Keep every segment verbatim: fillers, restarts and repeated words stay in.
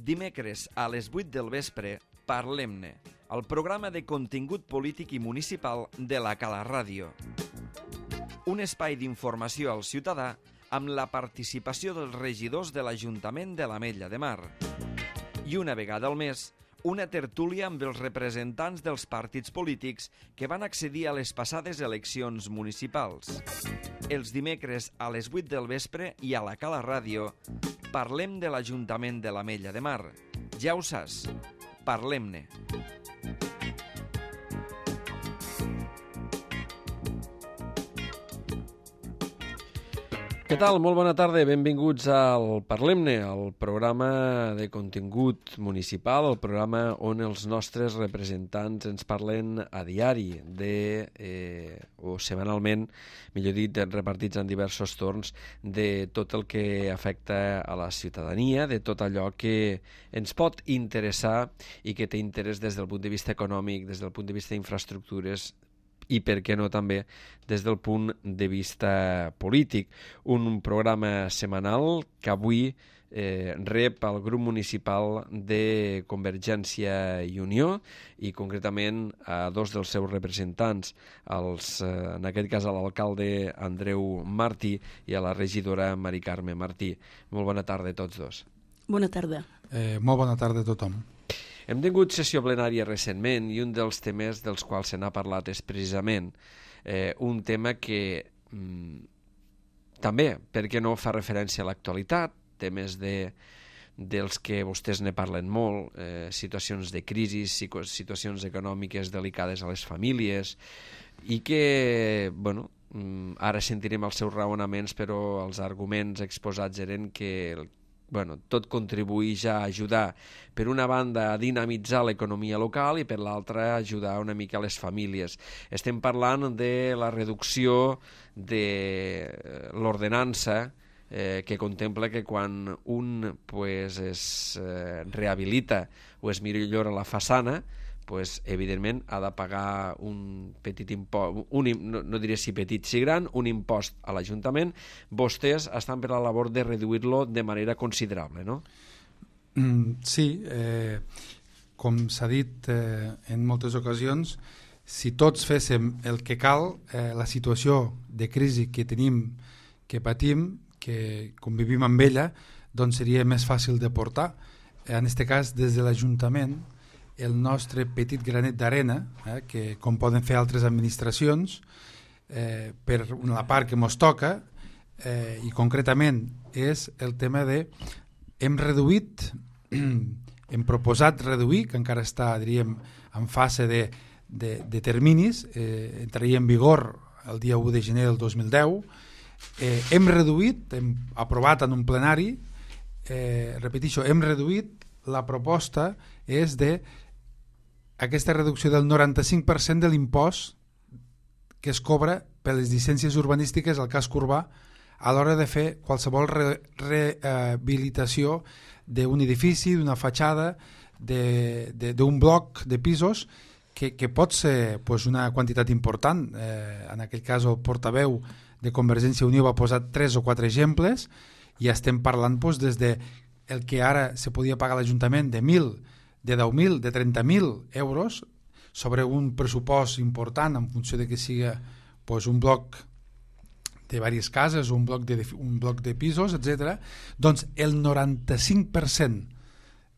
Dimecres a les vuit del vespre, Parlem-ne, el programa de contingut polític i municipal de la Cala Ràdio. Un espai d'informació al ciutadà amb la participació dels regidors de l'Ajuntament de l'Ametlla de Mar. I una vegada al mes, una tertúlia amb els representants dels partits polítics que van accedir a les passades eleccions municipals. Els dimecres a les vuit del vespre i a la Cala Ràdio parlem de l'Ajuntament de l'Ametlla de Mar. Ja ho saps, parlem-ne. Què tal? Molt bona tarda, benvinguts al Parlem-ne, el programa de contingut municipal, el programa on els nostres representants ens parlen a diari, de, eh, o setmanalment, millor dit, repartits en diversos torns, de tot el que afecta a la ciutadania, de tot allò que ens pot interessar i que té interès des del punt de vista econòmic, des del punt de vista d'infraestructures, i per què no també des del punt de vista polític. Un programa setmanal que avui eh, rep el grup municipal de Convergència i Unió i concretament a dos dels seus representants, els, eh, en aquest cas a l'alcalde Andreu Martí i a la regidora Mari Carme Martí. Molt bona tarda a tots dos. Bona tarda. Eh, molt bona tarda a tothom. Hem tingut sessió plenària recentment i un dels temes dels quals se n'ha parlat és precisament eh, un tema que mm, també, per què no, fa referència a l'actualitat, temes de, dels que vostès ne parlen molt, eh, situacions de crisi, situacions econòmiques delicades a les famílies i que, bueno, ara sentirem els seus raonaments, però els arguments exposats eren que bueno, tot contribueix a ajudar, per una banda, a dinamitzar l'economia local i per l'altra, a ajudar una mica les famílies. Estem parlant de la reducció de l'ordenança eh, que contempla que quan un pues, es eh, rehabilita o es millora la façana, pues, evidentment ha de pagar un petit impost, un, no, no diré si petit, si gran, un impost a l'Ajuntament. Vostès estan per la labor de reduir-lo de manera considerable, no? Mm, sí, eh, com s'ha dit eh, en moltes ocasions, si tots féssim el que cal, eh, la situació de crisi que tenim, que patim, que convivim amb ella, doncs seria més fàcil de portar. En aquest cas, des de l'Ajuntament, el nostre petit granet d'arena, eh, que com poden fer altres administracions, eh, per la part que ens toca, eh, i concretament és el tema de hem reduït, hem proposat reduir, que encara està, diríem, en fase de, de, de terminis, eh, entraria en vigor el dia u de gener del dos mil deu, eh, hem reduït, hem aprovat en un plenari, eh, repeteixo, hem reduït, la proposta és de aquesta reducció del noranta-cinc per cent de l'impost que es cobra per les llicències urbanístiques al casc urbà a l'hora de fer qualsevol re, rehabilitació d'un edifici, d'una fatxada, d'un bloc de pisos que, que pot ser pues, una quantitat important. Eh, en aquell cas el portaveu de Convergència i Unió va posar tres o quatre exemples i estem parlant pues, des de el que ara se podia pagar a l'Ajuntament de mil, de deu mil, de trenta mil euros sobre un pressupost important en funció de que sigui pues, un bloc de diverses cases, un bloc de, un bloc de pisos, etcètera. Doncs el noranta-cinc per cent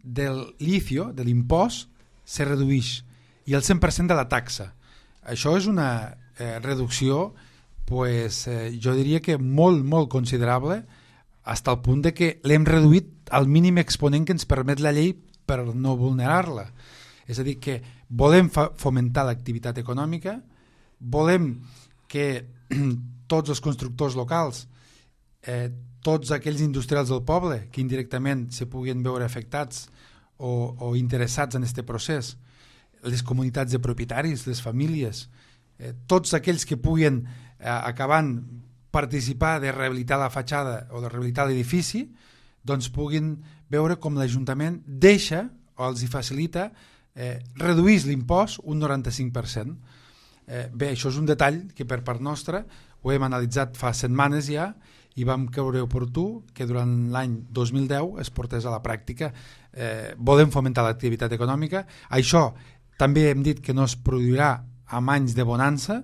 del licio, de l'impost, se redueix i el cent per cent de la taxa. Això és una eh, reducció pues, eh, jo diria que molt, molt considerable, fins al punt de que l'hem reduït al mínim exponent que ens permet la llei per no vulnerar-la. És a dir, que volem fomentar l'activitat econòmica, volem que tots els constructors locals, eh, tots aquells industrials del poble que indirectament se puguin veure afectats o, o interessats en aquest procés, les comunitats de propietaris, les famílies, eh, tots aquells que puguin eh, acabant participar de rehabilitar la fatxada o de rehabilitar l'edifici, doncs puguin veure com l'Ajuntament deixa o els hi facilita eh, reduir l'impost un noranta-cinc per cent. Eh, bé, això és un detall que per part nostra ho hem analitzat fa setmanes ja i vam creure oportú que durant l'any dos mil deu es portés a la pràctica. Eh, volem fomentar l'activitat econòmica. Això també hem dit que no es produirà amb anys de bonança.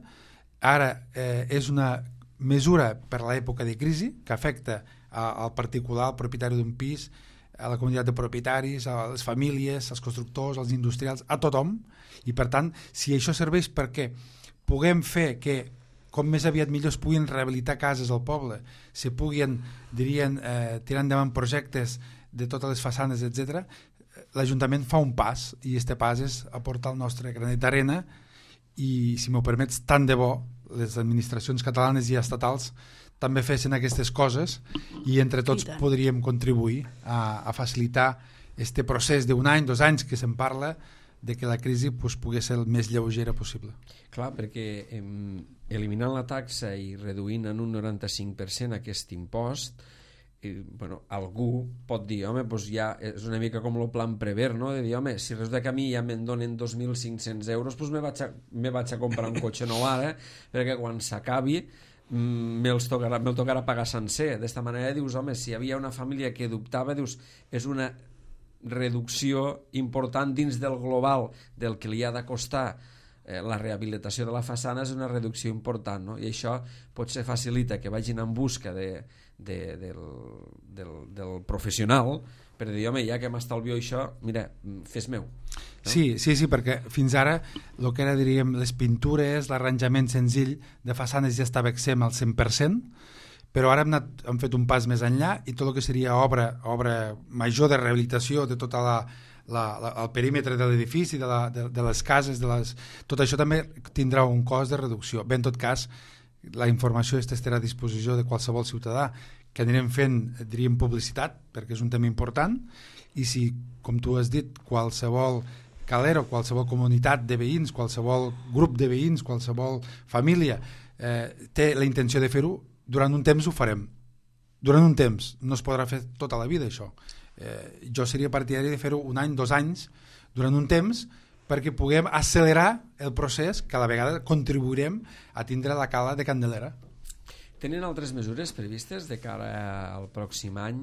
Ara eh, és una mesura per a l'època de crisi que afecta a, al particular, al propietari d'un pis, a la comunitat de propietaris, a les famílies, als constructors, als industrials, a tothom, i per tant, si això serveix perquè puguem fer que com més aviat millor es puguin rehabilitar cases al poble, se puguin, dirien, eh, tirar endavant projectes de totes les façanes, etcètera, l'Ajuntament fa un pas, i este pas és aportar el nostre granet d'arena, i, si m'ho permets, tant de bo les administracions catalanes i estatals també fessin aquestes coses i entre tots I podríem contribuir a, a facilitar este procés d'un any, dos anys que se'n parla de que la crisi pues, pugui ser el més lleugera possible. Clar, perquè eh, eliminant la taxa i reduint en un noranta-cinc per cent aquest impost, eh, bueno, algú pot dir, home, pues ja és una mica com el plan Prever, no? De dir, home, si resulta que a mi ja me'n donen dos mil cinc-cents euros, pues me vaig a, me vaig a comprar un cotxe nou ara, perquè quan s'acabi me'ls tocarà, me'l tocarà pagar sencer. D'esta manera dius, home, si hi havia una família que dubtava, dius, és una reducció important dins del global del que li ha de costar eh, la rehabilitació de la façana, és una reducció important, no? I això potser facilita que vagin en busca de, de, del, del, del professional per dir, home, ja que m'estalvio això, mira, fes meu. No? Sí, sí, sí, perquè fins ara el que era, diríem, les pintures, l'arranjament senzill de façanes ja estava exempt al cent per cent, però ara hem, anat, hem fet un pas més enllà i tot el que seria obra, obra major de rehabilitació de tota la, la, la, el perímetre de l'edifici, de, la, de, de les cases, de les, tot això també tindrà un cost de reducció. Bé, en tot cas, la informació estarà a disposició de qualsevol ciutadà, que anirem fent, diríem, publicitat, perquè és un tema important, i si, com tu has dit, qualsevol calero, qualsevol comunitat de veïns, qualsevol grup de veïns, qualsevol família eh, té la intenció de fer-ho, durant un temps ho farem. Durant un temps, no es podrà fer tota la vida això. Eh, jo seria partidari de fer-ho un any, dos anys, durant un temps, perquè puguem accelerar el procés que a la vegada contribuirem a tindre la cala de Candelera. Tenen altres mesures previstes de cara al pròxim any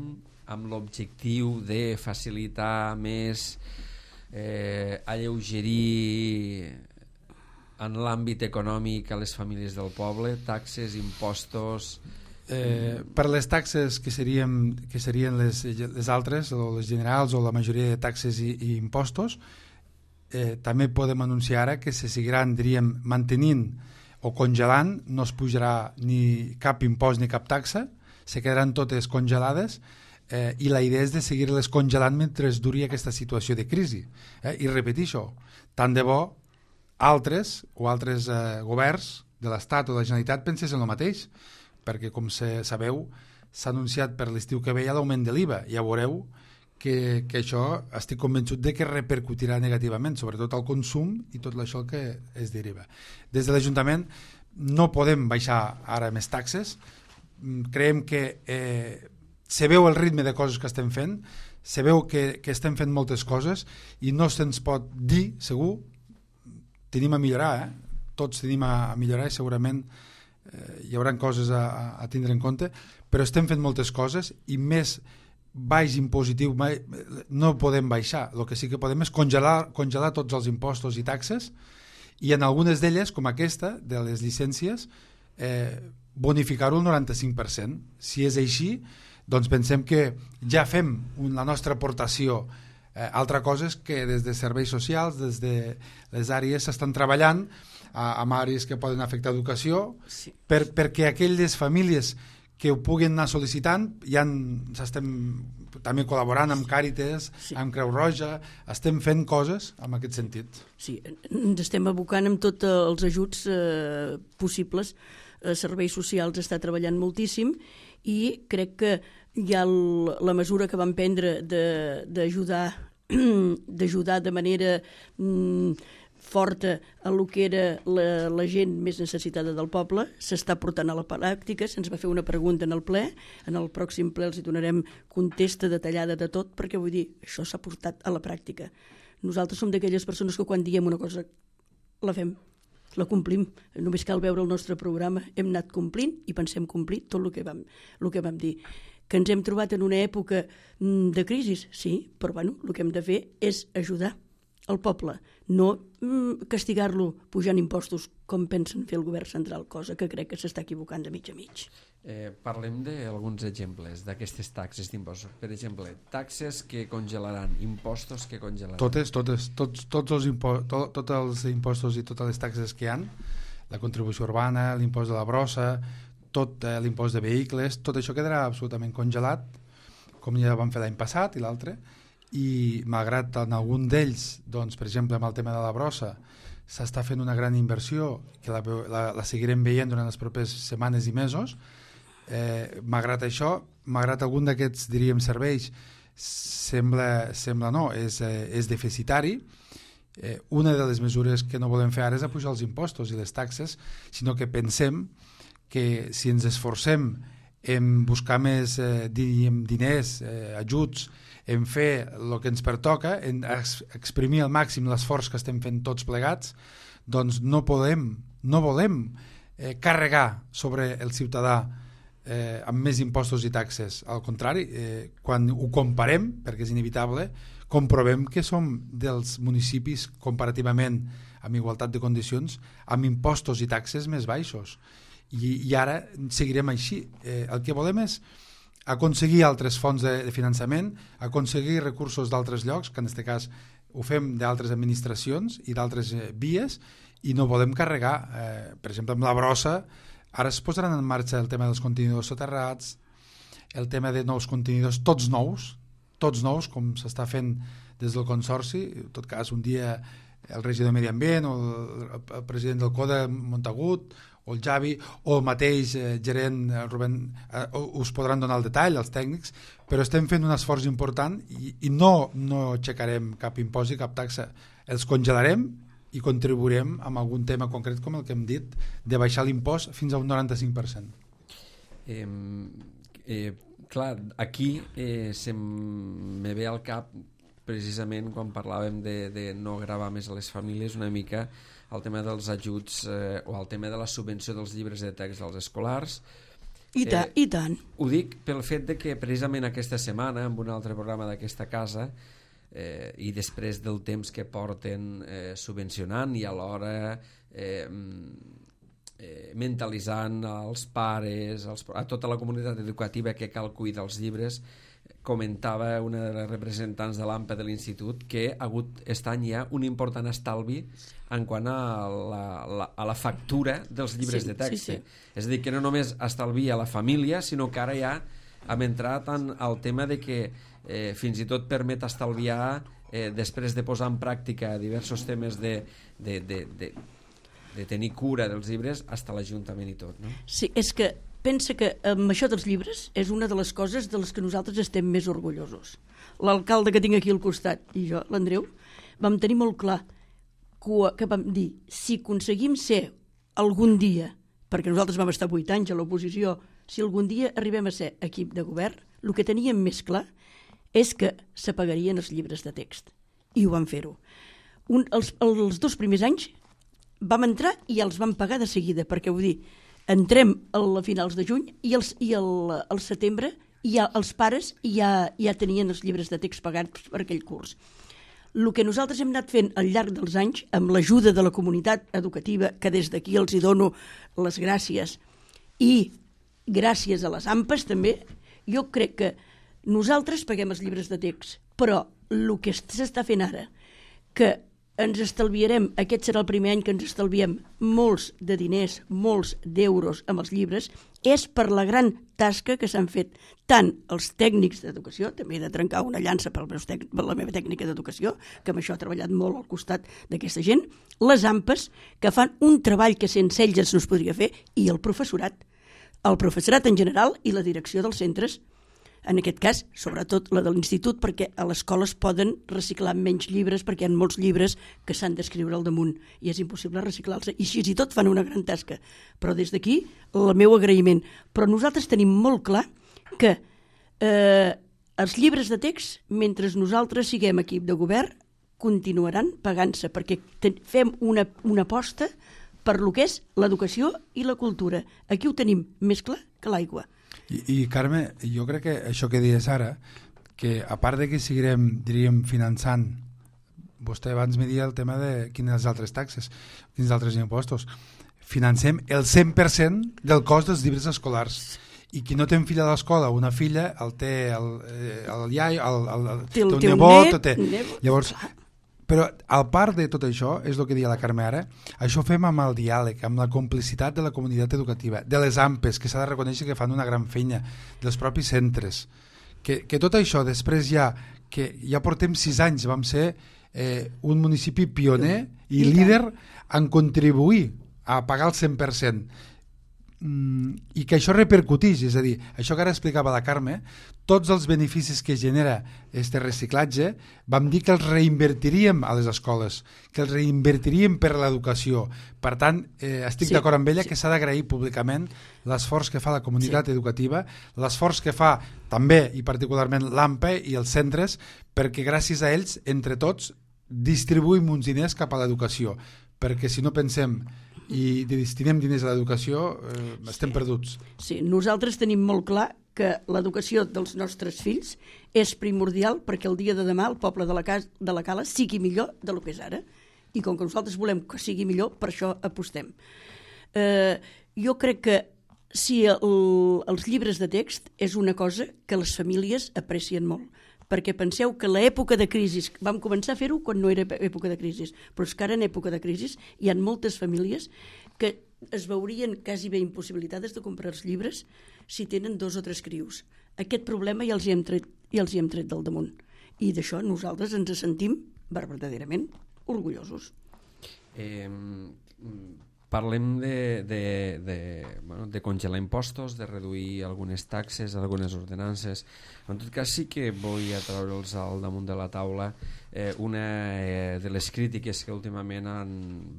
amb l'objectiu de facilitar més, eh, alleugerir en l'àmbit econòmic a les famílies del poble, taxes, impostos... Eh, per les taxes que serien, que serien les, les altres, o les generals o la majoria de taxes i, i impostos, eh, també podem anunciar ara que se seguiran, diríem, mantenint o congelant, no es pujarà ni cap impost ni cap taxa, se quedaran totes congelades, eh, i la idea és de seguir-les congelant mentre duri aquesta situació de crisi. Eh? I repeteixo, tant de bo altres o altres eh, governs de l'Estat o de la Generalitat pensessin el mateix, perquè com se, sabeu s'ha anunciat per l'estiu que ve l'augment de l'I V A. Ja veureu que, que això estic convençut de que repercutirà negativament, sobretot al consum i tot això que es deriva. Des de l'Ajuntament no podem baixar ara més taxes, creiem que eh, se veu el ritme de coses que estem fent, se veu que, que estem fent moltes coses i no se'ns pot dir, segur, tenim a millorar, eh? Tots tenim a, a millorar i segurament eh, hi haurà coses a, a tindre en compte, però estem fent moltes coses i més baix impositiu mai, no podem baixar. El que sí que podem és congelar, congelar tots els impostos i taxes i en algunes d'elles, com aquesta, de les llicències, eh, bonificar-ho al noranta-cinc per cent. Si és així, doncs pensem que ja fem un, la nostra aportació. Eh, altra cosa és que des de serveis socials, des de les àrees s'estan treballant a, amb àrees que poden afectar educació, sí. per, perquè aquelles famílies que ho puguin anar sol·licitant, ja estem també col·laborant amb Càritas, sí. amb Creu Roja, estem fent coses en aquest sentit. Sí, ens estem abocant amb tots els ajuts eh, possibles. Eh, serveis socials està treballant moltíssim i crec que hi ha el, la mesura que van prendre d'ajudar d'ajudar de manera mm, forta a lo que era la, la gent més necessitada del poble, s'està portant a la pràctica. Se'ns va fer una pregunta en el ple, en el pròxim ple els hi donarem contesta detallada de tot, perquè vull dir, això s'ha portat a la pràctica. Nosaltres som d'aquelles persones que quan diem una cosa la fem, la complim. Només cal veure el nostre programa. Hem anat complint i pensem complir tot el que vam, el que vam dir. Que ens hem trobat en una època de crisi, sí, però bueno, el que hem de fer és ajudar el poble, no castigar-lo pujant impostos com pensen fer el govern central, cosa que crec que s'està equivocant de mig a mig. Eh, parlem d'alguns exemples d'aquestes taxes d'impostos. Per exemple, taxes que congelaran, impostos que congelaran. Totes, totes, tots, tots els impo to, tots els impostos i totes les taxes que hi ha, la contribució urbana, l'impost de la brossa, tot eh, l'impost de vehicles, tot això quedarà absolutament congelat, com ja vam fer l'any passat i l'altre, i malgrat en algun d'ells, doncs, per exemple amb el tema de la brossa, s'està fent una gran inversió que la, la, la seguirem veient durant les properes setmanes i mesos, eh, malgrat això, malgrat algun d'aquests, diríem, serveis sembla, sembla no, és, eh, és deficitari. Eh, una de les mesures que no volem fer ara és apujar els impostos i les taxes, sinó que pensem que si ens esforcem en buscar més eh, diríem, diners, eh, ajuts, en fer el que ens pertoca, en exprimir al màxim l'esforç que estem fent tots plegats, doncs no podem, no volem eh, carregar sobre el ciutadà eh, amb més impostos i taxes. Al contrari, eh, quan ho comparem, perquè és inevitable, comprovem que som dels municipis comparativament amb igualtat de condicions, amb impostos i taxes més baixos. I, i ara seguirem així. Eh, el que volem és aconseguir altres fonts de, de finançament, aconseguir recursos d'altres llocs, que en aquest cas ho fem d'altres administracions i d'altres eh, vies, i no volem carregar, eh, per exemple, amb la brossa, ara es posaran en marxa el tema dels contenidors soterrats, el tema de nous contenidors, tots nous, tots nous, com s'està fent des del Consorci, en tot cas un dia el regidor de Medi Ambient o el, el president del CODA, Montagut, o el Javi, o el mateix eh, gerent eh, Rubén, eh, us podran donar el detall, els tècnics, però estem fent un esforç important i, i no, no aixecarem cap impost i cap taxa, els congelarem i contribuirem amb algun tema concret com el que hem dit, de baixar l'impost fins a un noranta-cinc per cent. Eh, eh, clar, aquí eh, se me ve al cap precisament quan parlàvem de, de no gravar més a les famílies una mica el tema dels ajuts eh, o el tema de la subvenció dels llibres de text als escolars. I, ta, eh, i tant. Ho dic pel fet de que precisament aquesta setmana, en un altre programa d'aquesta casa, eh, i després del temps que porten eh, subvencionant i alhora eh, eh, mentalitzant als pares, als, a tota la comunitat educativa que cal cuidar els llibres, comentava una de les representants de l'AMPA de l'institut que ha hagut aquest any ja un important estalvi en quant a la, la, a la factura dels llibres sí, de text. Sí, sí. És a dir, que no només estalvia la família, sinó que ara ja hem entrat en el tema de que eh, fins i tot permet estalviar eh, després de posar en pràctica diversos temes de, de, de, de, de tenir cura dels llibres, fins a l'Ajuntament i tot, no? Sí, és que pensa que amb això dels llibres és una de les coses de les que nosaltres estem més orgullosos. L'alcalde que tinc aquí al costat i jo, l'Andreu, vam tenir molt clar que vam dir, si aconseguim ser algun dia, perquè nosaltres vam estar vuit anys a l'oposició, si algun dia arribem a ser equip de govern, el que teníem més clar és que s'apagarien els llibres de text. I ho vam fer-ho. Un, els, els dos primers anys vam entrar i els vam pagar de seguida, perquè vull dir, entrem a finals de juny i, els, i el, el setembre ja, els pares ja, ja tenien els llibres de text pagats per aquell curs. El que nosaltres hem anat fent al llarg dels anys, amb l'ajuda de la comunitat educativa, que des d'aquí els hi dono les gràcies, i gràcies a les AMPAs també, jo crec que nosaltres paguem els llibres de text, però el que s'està fent ara, que ens estalviarem, aquest serà el primer any que ens estalviem molts de diners, molts d'euros amb els llibres, és per la gran tasca que s'han fet tant els tècnics d'educació, també he de trencar una llança per, tec, per la meva tècnica d'educació, que amb això ha treballat molt al costat d'aquesta gent, les AMPAs, que fan un treball que sense ells no es podria fer, i el professorat, el professorat en general i la direcció dels centres, en aquest cas, sobretot la de l'institut, perquè a l'escola es poden reciclar menys llibres perquè hi ha molts llibres que s'han d'escriure al damunt i és impossible reciclar-los, i així i tot fan una gran tasca. Però des d'aquí, el meu agraïment. Però nosaltres tenim molt clar que eh, els llibres de text, mentre nosaltres siguem equip de govern, continuaran pagant-se, perquè fem una, una aposta per lo que és l'educació i la cultura. Aquí ho tenim més clar que l'aigua. I, I Carme, jo crec que això que dius ara, que a part de que seguirem, diríem, finançant, vostè abans me dia el tema de quines altres taxes, quins altres impostos, financem el cent per cent del cost dels llibres escolars. I qui no té un fill a l'escola, una filla, el té el, el iai, el, el, el, té un nebot, té... Llavors, però al part de tot això, és el que deia la Carme ara, això ho fem amb el diàleg, amb la complicitat de la comunitat educativa, de les A M P Es, que s'ha de reconèixer que fan una gran feina, dels propis centres, que, que tot això després ja, que ja portem sis anys, vam ser eh, un municipi pioner i líder en contribuir a pagar el cent per cent, i que això repercuteix, és a dir, això que ara explicava la Carme, tots els beneficis que genera este reciclatge, vam dir que els reinvertiríem a les escoles, que els reinvertiríem per l'educació. Per tant, eh, estic sí, d'acord amb ella sí. que s'ha d'agrair públicament l'esforç que fa la comunitat sí. educativa, l'esforç que fa també i particularment l'A M P E i els centres, perquè gràcies a ells, entre tots, distribuïm uns diners cap a l'educació, perquè si no pensem i destinem diners a l'educació, eh, estem sí. perduts. Sí, nosaltres tenim molt clar que l'educació dels nostres fills és primordial perquè el dia de demà el poble de la, casa, de la Cala sigui millor del que és ara. I com que nosaltres volem que sigui millor, per això apostem. Eh, jo crec que si el, els llibres de text és una cosa que les famílies aprecien molt, perquè penseu que l'època de crisi, vam començar a fer-ho quan no era època de crisi, però és que ara en època de crisi hi ha moltes famílies que es veurien quasi bé impossibilitades de comprar els llibres si tenen dos o tres crios. Aquest problema ja els hi hem tret, ja els hi hem tret del damunt. I d'això nosaltres ens sentim verdaderament orgullosos. Eh, parlem de, de, de, bueno, de congelar impostos, de reduir algunes taxes, algunes ordenances. En tot cas sí que vull treure'ls al damunt de la taula eh, una eh, de les crítiques que últimament han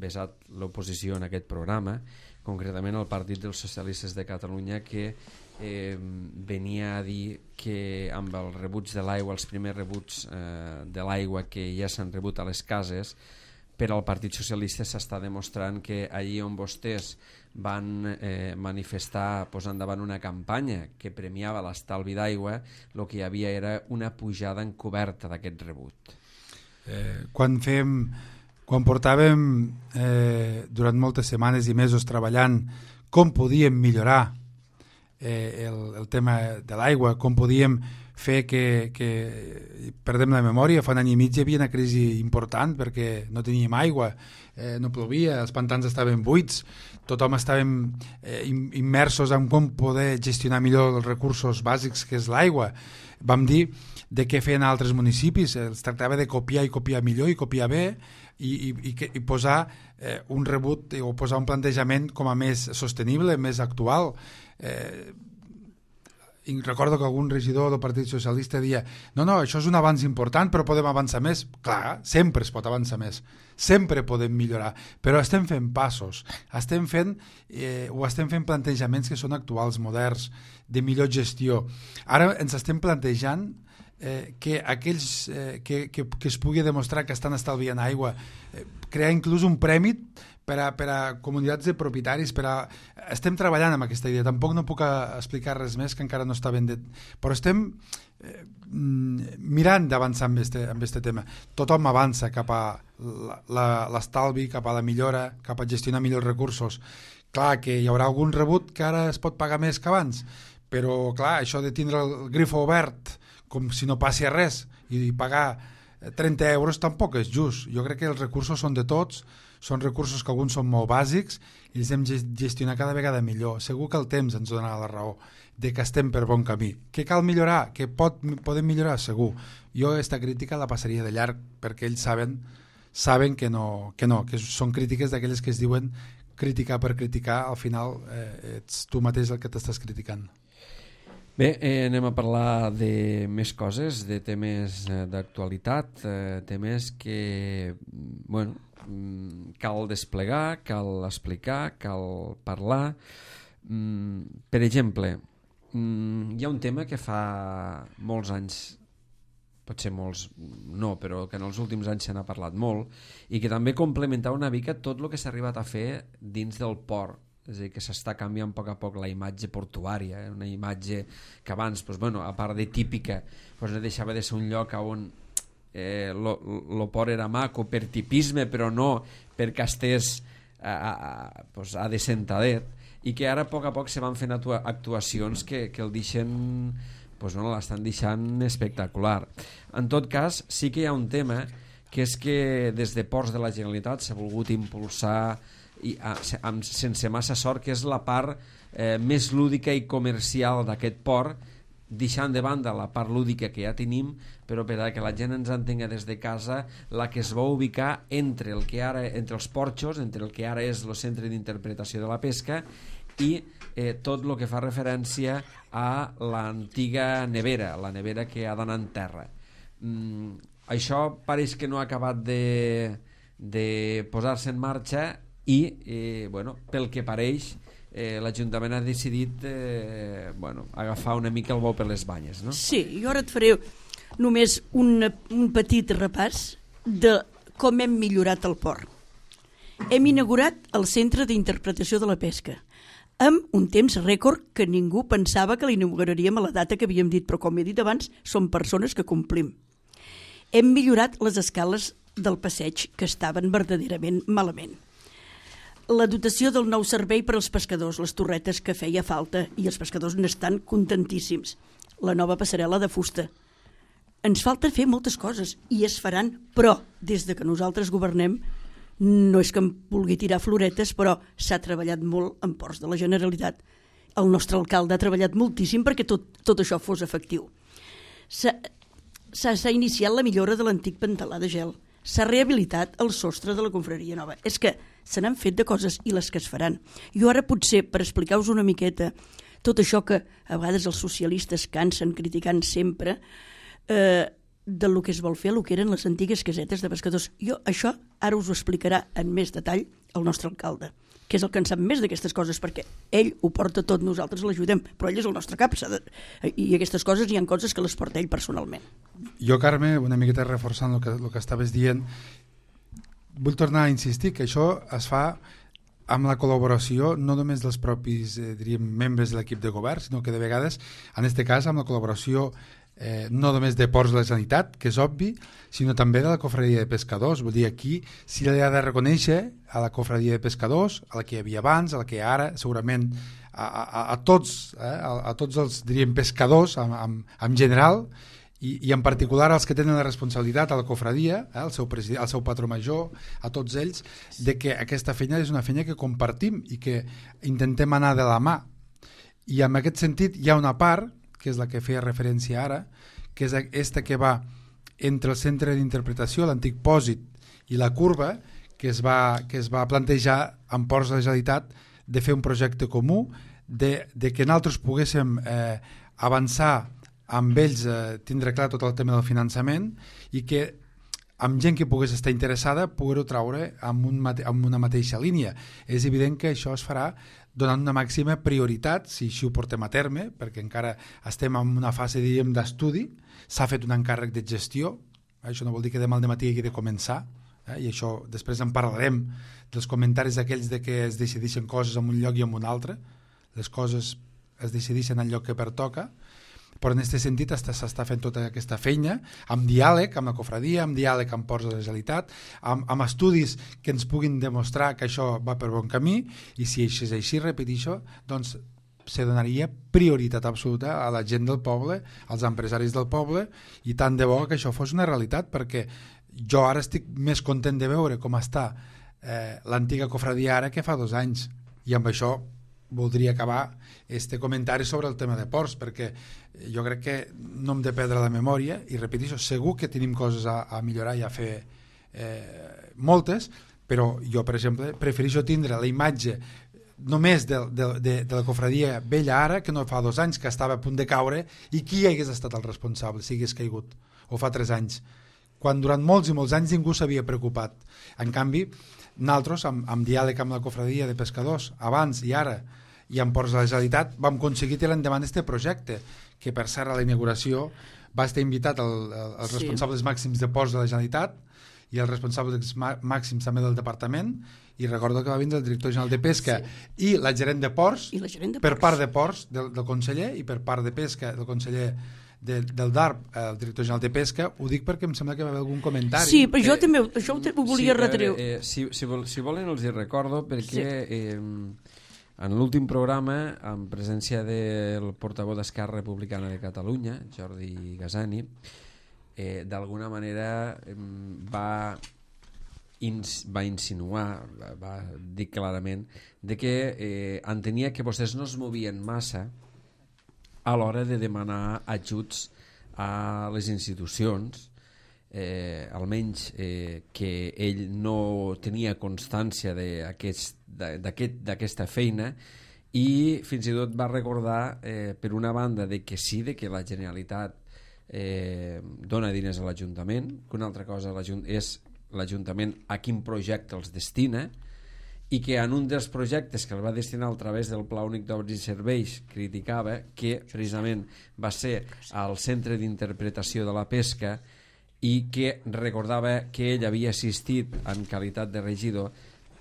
vessat l'oposició en aquest programa, concretament el Partit dels Socialistes de Catalunya, que eh, venia a dir que amb el rebuig de l'aigua, els primers rebuts eh, de l'aigua que ja s'han rebut a les cases, per al Partit Socialista s'està demostrant que allí on vostès van eh, manifestar posant davant una campanya que premiava l'estalvi d'aigua, el que hi havia era una pujada encoberta d'aquest rebut. Eh, quan fem, quan portàvem eh, durant moltes setmanes i mesos treballant com podíem millorar eh, el, el tema de l'aigua, com podíem fer que, que perdem la memòria. Fa un any i mig hi havia una crisi important perquè no teníem aigua, eh, no plovia, els pantans estaven buits, tothom estàvem eh, immersos en com poder gestionar millor els recursos bàsics que és l'aigua. Vam dir de què feien altres municipis, es tractava de copiar i copiar millor i copiar bé i, i, i, i posar eh, un rebut o posar un plantejament com a més sostenible, més actual. Eh, i recordo que algun regidor del Partit Socialista deia no, no, això és un avanç important però podem avançar més. Clar, sempre es pot avançar més, sempre podem millorar, però estem fent passos, estem fent eh, o estem fent plantejaments que són actuals, moderns, de millor gestió. Ara ens estem plantejant eh, que aquells eh, que, que, que es pugui demostrar que estan estalviant aigua, eh, crear inclús un premi per a, per a comunitats de propietaris, per a... estem treballant amb aquesta idea, tampoc no puc explicar res més que encara no està ben dit, però estem eh, mirant d'avançar amb este, amb este tema. Tothom avança cap a l'estalvi, cap a la millora, cap a gestionar millors recursos. Clar que hi haurà algun rebut que ara es pot pagar més que abans, però clar, això de tindre el grifo obert com si no passi res i pagar trenta euros tampoc és just. Jo crec que els recursos són de tots, són recursos que alguns són molt bàsics i els hem de gestionar cada vegada millor. Segur que el temps ens donarà la raó de que estem per bon camí. Que cal millorar? Que pot, podem millorar? Segur. Jo aquesta crítica la passaria de llarg perquè ells saben, saben que no, que no, que són crítiques d'aquelles que es diuen criticar per criticar, al final eh, ets tu mateix el que t'estàs criticant. Bé, eh, anem a parlar de més coses, de temes eh, d'actualitat, eh, temes que, bueno, cal desplegar, cal explicar, cal parlar. Mm, per exemple, mm, hi ha un tema que fa molts anys, potser molts no, però que en els últims anys se n'ha parlat molt, i que també complementar una mica tot el que s'ha arribat a fer dins del port. És a dir, que s'està canviant a poc a poc la imatge portuària, eh? Una imatge que abans, doncs, bueno, a part de típica, doncs, no deixava de ser un lloc on eh, lo, lo port era maco per tipisme, però no perquè estés a, a, doncs, a de sentadet, i que ara a poc a poc se van fent actuacions que, que el deixen, doncs, no, l'estan deixant espectacular. En tot cas, sí que hi ha un tema, que és que des de Ports de la Generalitat s'ha volgut impulsar i a, amb, sense massa sort, que és la part eh, més lúdica i comercial d'aquest port, deixant de banda la part lúdica que ja tenim, però per a que la gent ens entenga des de casa, la que es va ubicar entre el que ara, entre els porxos, entre el que ara és el centre d'interpretació de la pesca, i eh, tot el que fa referència a l'antiga nevera, la nevera que ha d'anar en terra. Mm, això pareix que no ha acabat de, de posar-se en marxa, i eh, bueno, pel que pareix eh, l'Ajuntament ha decidit eh, bueno, agafar una mica el bou per les banyes, no? Sí, jo ara et faré només un, un petit repàs de com hem millorat el port. Hem inaugurat el Centre d'Interpretació de la Pesca amb un temps rècord que ningú pensava que l'inauguraríem a la data que havíem dit, però com he dit abans, som persones que complim. Hem millorat les escales del passeig, que estaven verdaderament malament. La dotació del nou servei per als pescadors, les torretes que feia falta, i els pescadors n'estan contentíssims. La nova passarel·la de fusta. Ens falta fer moltes coses, i es faran, però des de que nosaltres governem, no és que em vulgui tirar floretes, però s'ha treballat molt en Ports de la Generalitat. El nostre alcalde ha treballat moltíssim perquè tot, tot això fos efectiu. S'ha iniciat la millora de l'antic pantalà de gel. S'ha rehabilitat el sostre de la confraria nova. És que se n'han fet de coses i les que es faran. Jo ara potser, per explicar-vos una miqueta tot això que a vegades els socialistes cansen criticant sempre, eh, del que es vol fer, el que eren les antigues casetes de pescadors. Jo això ara us ho explicarà en més detall el nostre alcalde, que és el que en sap més d'aquestes coses, perquè ell ho porta tot, nosaltres l'ajudem, però ell és el nostre cap, de... i aquestes coses hi ha coses que les porta ell personalment. Jo, Carme, una miqueta reforçant el que, el que estaves dient, vull tornar a insistir que això es fa amb la col·laboració no només dels propis eh, diríem, membres de l'equip de govern, sinó que de vegades, en aquest cas, amb la col·laboració eh, no només de Ports de la Generalitat, que és obvi, sinó també de la Cofradia de Pescadors. Vull dir, aquí sí li ha de reconèixer a la Cofradia de Pescadors, a la que hi havia abans, a la que hi ha ara, segurament a, a, a tots, eh, a, a tots els, diríem, pescadors en, en, en general, i, i en particular als que tenen la responsabilitat a la cofradia, eh, al seu president, al seu patró major, a tots ells, de que aquesta feina és una feina que compartim i que intentem anar de la mà. I en aquest sentit hi ha una part, que és la que feia referència ara, que és aquesta que va entre el centre d'interpretació, l'antic pòsit, i la curva, que es va, que es va plantejar en Ports de la Generalitat de fer un projecte comú, de, de que nosaltres poguéssim eh, avançar amb ells, eh, tindre clar tot el tema del finançament, i que amb gent que pogués estar interessada poder-ho traure amb, un mate amb una mateixa línia. És evident que això es farà donant una màxima prioritat, si així ho portem a terme, perquè encara estem en una fase, diríem, d'estudi, s'ha fet un encàrrec de gestió, això no vol dir que demà al dematí hagi de començar, eh? I això després en parlarem dels comentaris aquells de que es decideixen coses en un lloc i en un altre, les coses es decideixen al lloc que pertoca, però en aquest sentit s'està fent tota aquesta feina amb diàleg amb la cofradia, amb diàleg amb Ports de la Generalitat, amb, amb estudis que ens puguin demostrar que això va per bon camí, i si això és així, repeteixo, doncs se donaria prioritat absoluta a la gent del poble, als empresaris del poble, i tant de bo que això fos una realitat, perquè jo ara estic més content de veure com està eh, l'antiga cofradia ara que fa dos anys, i amb això voldria acabar este comentari sobre el tema de ports, perquè jo crec que no hem de perdre la memòria, i repeteixo, segur que tenim coses a, a millorar i a fer eh, moltes, però jo, per exemple, prefereixo tindre la imatge només de, de, de, de la cofradia vella ara, que no fa dos anys, que estava a punt de caure, i qui hagués estat el responsable si hagués caigut, o fa tres anys, quan durant molts i molts anys ningú s'havia preocupat. En canvi, nosaltres, amb, amb diàleg amb la cofradia de pescadors, abans i ara, i en Ports de la Generalitat vam aconseguir tirar endavant aquest projecte, que per cert a la inauguració va estar invitat el, el, els Sí. responsables màxims de Ports de la Generalitat i els responsables màxims també del departament, i recordo que va vindre el director general de Pesca sí. i la gerent de Ports, I la gerent de per Ports. part de Ports del, del conseller, i per part de Pesca del conseller de, del D A R P, el director general de Pesca. Ho dic perquè em sembla que va haver algun comentari. Sí, però jo Eh, també això ho, te- ho volia sí, retreure. Eh, si, si, vol, si volen els hi recordo perquè Sí. eh, en l'últim programa, en presència del portaveu d'Esquerra Republicana de Catalunya, Jordi Gasani, eh, d'alguna manera eh, va, ins, va insinuar, va, va dir clarament, de que eh, entenia que vostès no es movien massa a l'hora de demanar ajuts a les institucions, eh, almenys eh, que ell no tenia constància d'aquesta aquest, aquest, feina, i fins i tot va recordar eh, per una banda de que sí, de que la Generalitat eh, dona diners a l'Ajuntament, que una altra cosa és l'Ajuntament a quin projecte els destina, i que en un dels projectes que el va destinar a través del Pla Únic d'Obres i Serveis criticava que precisament va ser al Centre d'Interpretació de la Pesca, i que recordava que ell havia assistit en qualitat de regidor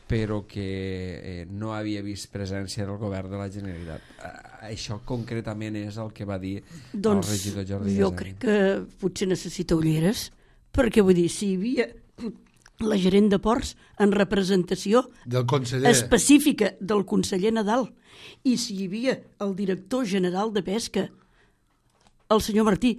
però que eh, no havia vist presència del govern de la Generalitat. Eh, això concretament és el que va dir Doncs el regidor Jordi jo Gasani. crec que potser necessita ulleres, perquè vull dir, si hi havia la gerent de Ports en representació del conseller específica del conseller Nadal, i si hi havia el director general de Pesca, el senyor Martí,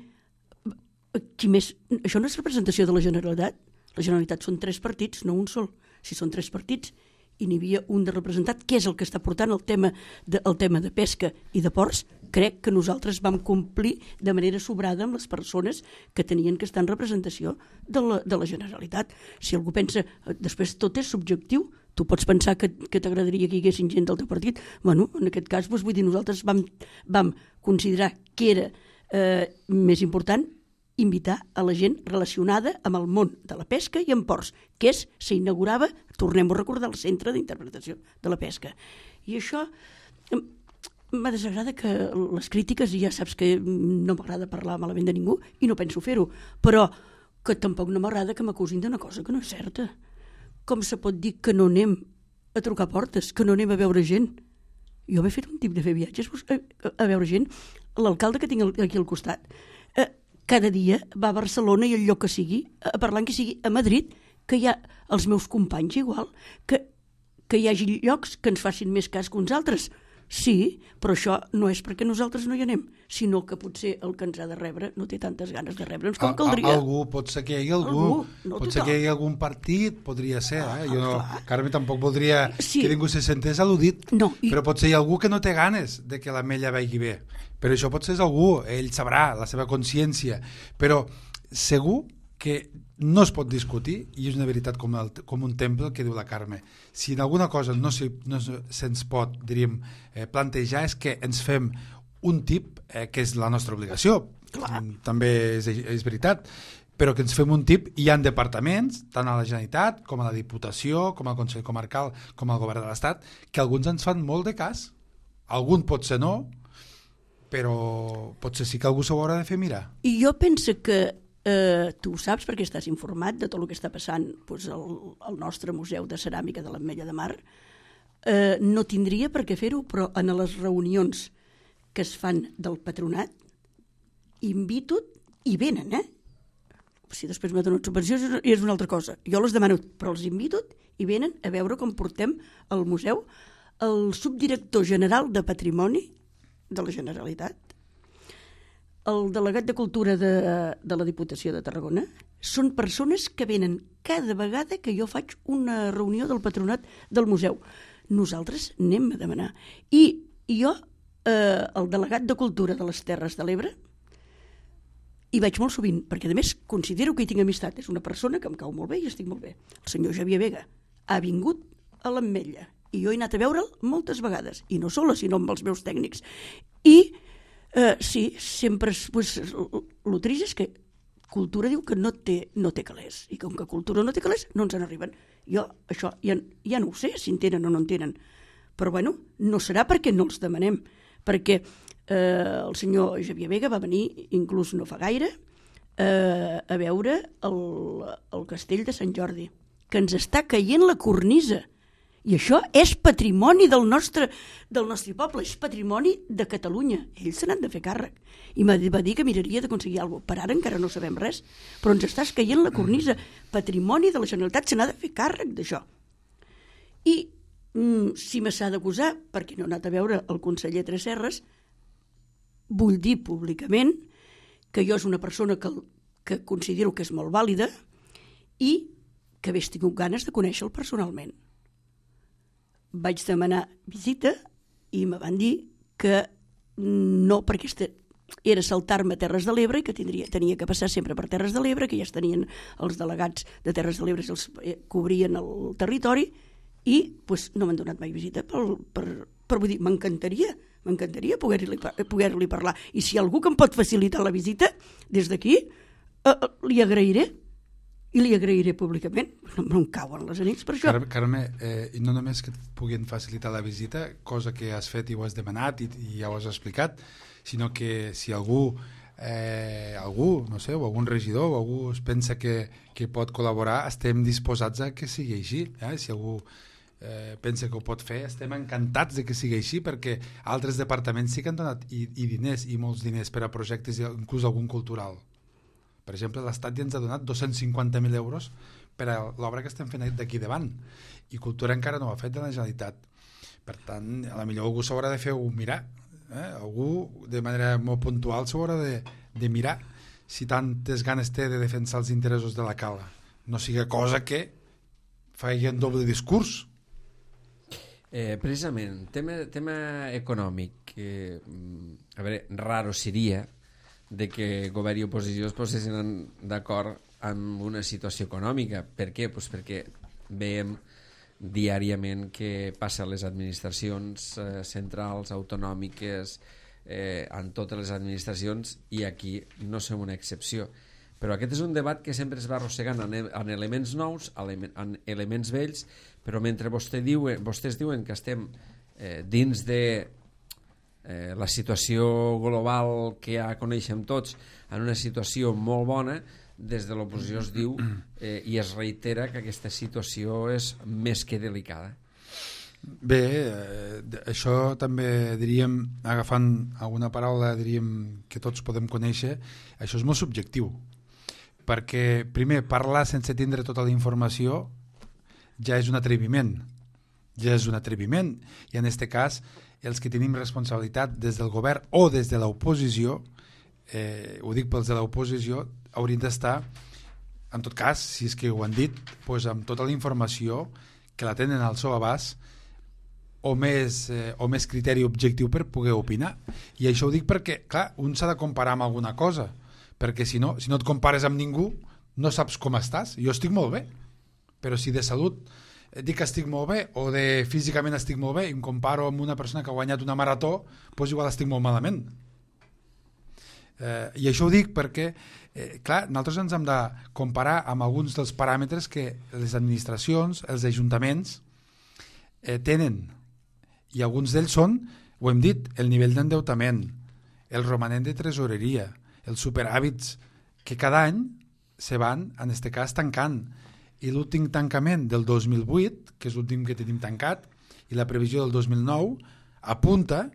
qui més? Això no és representació de la Generalitat? La Generalitat són tres partits, no un sol. Si són tres partits i n'hi havia un de representat, què és el que està portant el tema de, el tema de pesca i de ports, crec que nosaltres vam complir de manera sobrada amb les persones que tenien que estar en representació de la, de la Generalitat. Si algú pensa, després tot és subjectiu, tu pots pensar que, que t'agradaria que hi haguessin gent del teu partit. Bueno, en aquest cas, doncs, vull dir, nosaltres vam, vam considerar que era eh, més important invitar a la gent relacionada amb el món de la pesca i amb ports, que és, s'inaugurava, tornem a recordar, el Centre d'Interpretació de la Pesca. I això m'ha desagrada que les crítiques, i ja saps que no m'agrada parlar malament de ningú i no penso fer-ho, però que tampoc no m'agrada que m'acusin d'una cosa que no és certa. Com se pot dir que no anem a trucar portes, que no anem a veure gent? Jo m'he fet un tip de fer viatges a, a veure gent. L'alcalde que tinc aquí al costat eh, cada dia va a Barcelona i el lloc que sigui, a parlar que sigui a Madrid, que hi ha els meus companys igual, que, que hi hagi llocs que ens facin més cas que uns altres. Sí, però això no és perquè nosaltres no hi anem, sinó que potser el que ens ha de rebre no té tantes ganes de rebre'ns com caldria. Algú, pot ser que hi hagi algú, algú no pot ser que hi hagi algun partit, podria ser, eh? Jo, ah, Carme, tampoc voldria sí. que ningú se sentés al·ludit, no, i... però potser hi ha algú que no té ganes de que l'ametlla vagi bé. Però això potser és algú, ell sabrà, la seva consciència, però segur que no es pot discutir, i és una veritat com, el, com un temple que diu la Carme. Si en alguna cosa no, se, no se'ns pot, diríem, eh, plantejar, és que ens fem un tip, eh, que és la nostra obligació. Clar. També és, és veritat, però que ens fem un tip, i hi ha departaments, tant a la Generalitat, com a la Diputació, com al Consell Comarcal, com al Govern de l'Estat, que alguns ens fan molt de cas. Algun potser no, però potser sí que algú s'ho haurà de fer mirar. I jo penso que eh, tu ho saps perquè estàs informat de tot el que està passant doncs, al, al nostre Museu de Ceràmica de l'Ametlla de Mar. Eh, no tindria per què fer-ho, però en les reunions que es fan del patronat invito i venen, eh? Si després me donen subvencions és una altra cosa. Jo les demano, però els invito i venen a veure com portem al museu el subdirector general de Patrimoni de la Generalitat, el delegat de Cultura de, de la Diputació de Tarragona. Són persones que venen cada vegada que jo faig una reunió del patronat del museu. Nosaltres anem a demanar. I, i jo, eh, el delegat de Cultura de les Terres de l'Ebre, hi vaig molt sovint, perquè a més considero que hi tinc amistat. És una persona que em cau molt bé i estic molt bé. El senyor Xavier Vega ha vingut a l'Ametlla i jo he anat a veure'l moltes vegades, i no sola, sinó amb els meus tècnics. I eh, sí, sempre pues, el trist és que Cultura diu que no té, no té calés, i com que Cultura no té calés no ens en arriben. Jo això ja, ja no ho sé si en tenen o no en tenen, Però bueno, no serà perquè no els demanem, perquè eh, el senyor Xavier Vega va venir, inclús no fa gaire, eh, a veure el, el castell de Sant Jordi, que ens està caient la cornisa. I això és patrimoni del nostre, del nostre poble, és patrimoni de Catalunya. Ells se n'han de fer càrrec. I va dir que miraria d'aconseguir alguna cosa. Per ara encara no sabem res, però ens estàs caient la cornisa. Patrimoni de la Generalitat, se n'ha de fer càrrec d'això. I mm, si me s'ha d'acusar, perquè no he anat a veure el conseller Tresserras, vull dir públicament que jo és una persona que, que considero que és molt vàlida i que hagués tingut ganes de conèixer-lo personalment. Vaig demanar visita i me van dir que no, perquè este era saltar-me a Terres de l'Ebre i que tindria, tenia que passar sempre per Terres de l'Ebre, que ja es tenien els delegats de Terres de l'Ebre, els cobrien el territori, i pues, no m'han donat mai visita. Per, per, per vull dir, m'encantaria, m'encantaria poder-li poder-li parlar. I si algú que em pot facilitar la visita, des d'aquí, eh, li agrairé. I li agrairé públicament, no em cauen les anits per això. Carme, eh, no només que et puguin facilitar la visita, cosa que has fet i ho has demanat i, i ja ho has explicat, sinó que si algú, eh, algú, no sé, o algun regidor o algú es pensa que, que pot col·laborar, estem disposats a que sigui així. Eh? Si algú eh, pensa que ho pot fer, estem encantats de que sigui així, perquè altres departaments sí que han donat i, i diners, i molts diners per a projectes, inclús algun cultural. Per exemple, l'Estat ja ens ha donat dos-cents cinquanta mil euros per a l'obra que estem fent d'aquí davant, i Cultura encara no ho ha fet de la Generalitat. Per tant, a la millor algú s'haurà de fer un mirar, eh? Algú de manera molt puntual s'haurà de, de mirar si tantes ganes té de defensar els interessos de la cala. No siga cosa que faci un doble discurs. Eh, precisament, tema, tema econòmic, eh, a veure, raro seria de que govern i oposició es posessin d'acord amb una situació econòmica. Per què? Pues perquè veiem diàriament que passa a les administracions eh, centrals, autonòmiques, eh, en totes les administracions, i aquí no som una excepció. Però aquest és un debat que sempre es va arrossegant en, en elements nous, en elements vells, però mentre vostè diu, vostès diuen que estem eh, dins de Eh, la situació global que ja coneixem tots, en una situació molt bona, des de l'oposició es diu eh, i es reitera que aquesta situació és més que delicada. Bé, eh, això també diríem, agafant alguna paraula diríem que tots podem conèixer, això és molt subjectiu, perquè primer parlar sense tindre tota la informació ja és un atreviment, ja és un atreviment, i en aquest cas els que tenim responsabilitat des del govern o des de l'oposició, eh, ho dic pels de l'oposició, haurien d'estar, en tot cas, si és que ho han dit, doncs amb tota la informació que la tenen al seu abast, o més, eh, o més criteri objectiu per poder opinar. I això ho dic perquè, clar, un s'ha de comparar amb alguna cosa, perquè si no, si no et compares amb ningú, no saps com estàs. Jo estic molt bé, però si de salut dic que estic molt bé, o de físicament estic molt bé, i em comparo amb una persona que ha guanyat una marató, doncs igual estic molt malament. Eh, I això ho dic perquè, eh, clar, nosaltres ens hem de comparar amb alguns dels paràmetres que les administracions, els ajuntaments, eh, tenen. I alguns d'ells són, ho hem dit, el nivell d'endeutament, el romanent de tresoreria, els superàvits que cada any se van, en aquest cas, tancant. I l'últim tancament del dos mil vuit, que és l'últim que tenim tancat, i la previsió del dos mil nou, apunta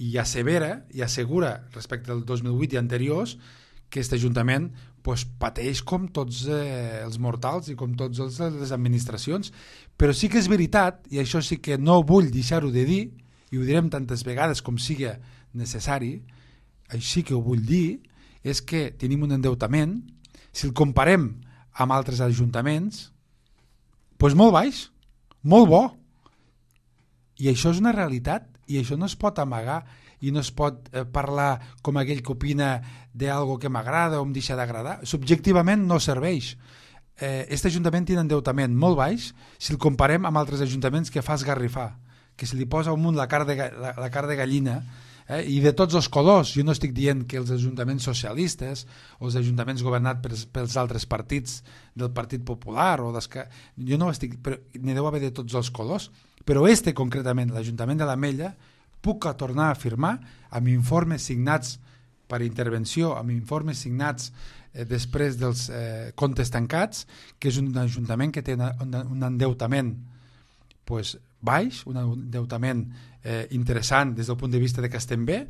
i assevera i assegura respecte al dos mil vuit i anteriors que aquest Ajuntament pues, pateix com tots eh, els mortals i com tots els, les administracions. Però sí que és veritat, i això sí que no vull deixar-ho de dir, i ho direm tantes vegades com sigui necessari, així que ho vull dir, és que tenim un endeutament, si el comparem amb altres ajuntaments, doncs molt baix, molt bo. I això és una realitat, i això no es pot amagar, i no es pot eh, parlar com aquell que opina d'algo que m'agrada o em deixa d'agradar. Subjectivament no serveix. Eh, este ajuntament té un endeutament molt baix si el comparem amb altres ajuntaments que fa esgarrifar, que se li posa al munt la carn de, la, la carn de gallina eh? I de tots els colors. Jo no estic dient que els ajuntaments socialistes o els ajuntaments governats pels, pels altres partits del Partit Popular o jo no estic, però n'hi deu haver de tots els colors, però este concretament, l'Ajuntament de l'Ametlla, puc tornar a afirmar amb informes signats per intervenció, amb informes signats eh, després dels eh, comptes tancats, que és un ajuntament que té una, una, un endeutament pues, baix, un endeutament eh, interessant des del punt de vista de que estem bé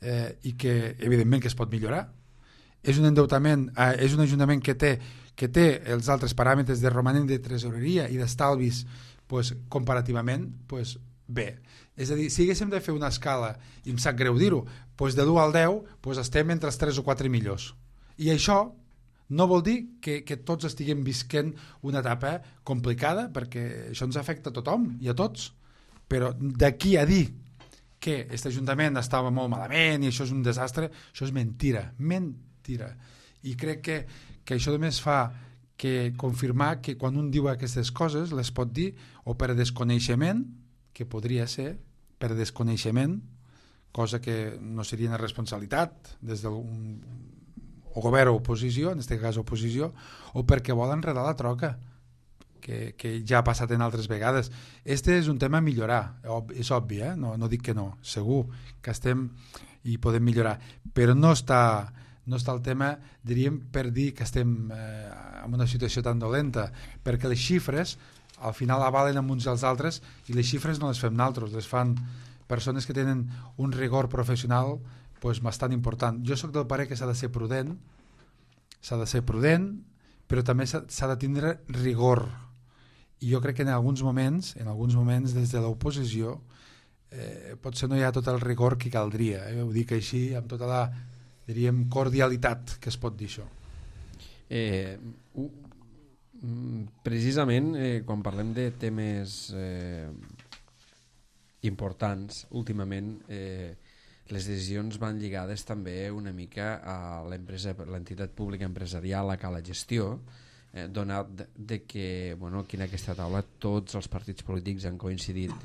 eh, i que evidentment que es pot millorar. És un endeutament, eh, és un ajuntament que té, que té els altres paràmetres de romanent de tresoreria i d'estalvis pues, comparativament pues, bé. És a dir, si haguéssim de fer una escala, i em sap greu dir-ho, doncs de l'u al deu doncs estem entre els tres o quatre millors. I això no vol dir que, que tots estiguem visquent una etapa complicada, perquè això ens afecta a tothom i a tots. Però d'aquí a dir que aquest Ajuntament estava molt malament i això és un desastre, això és mentira, mentira. I crec que, que això només fa que confirmar que quan un diu aquestes coses les pot dir o per desconeixement, que podria ser per desconeixement, cosa que no seria una responsabilitat des del o govern o oposició, en aquest cas oposició, o perquè volen enredar la troca, que, que ja ha passat en altres vegades. Este és un tema a millorar, és obvi, eh? no, no dic que no, segur que estem i podem millorar, però no està, no està el tema, diríem, per dir que estem eh, en una situació tan dolenta, perquè les xifres al final avalen amb uns i els altres i les xifres no les fem nosaltres, les fan persones que tenen un rigor professional pues, bastant important. Jo sóc del parer que s'ha de ser prudent, s'ha de ser prudent, però també s'ha de tindre rigor. I jo crec que en alguns moments, en alguns moments des de l'oposició, eh, potser no hi ha tot el rigor que caldria. Eh? Ho dic així, amb tota la, diríem, cordialitat que es pot dir això. Eh, uh... Precisament eh, quan parlem de temes eh, importants últimament eh, les decisions van lligades també una mica a l'empresa, l'entitat pública empresarial, a la gestió eh, donat de, de que bueno, aquí en aquesta taula tots els partits polítics han coincidit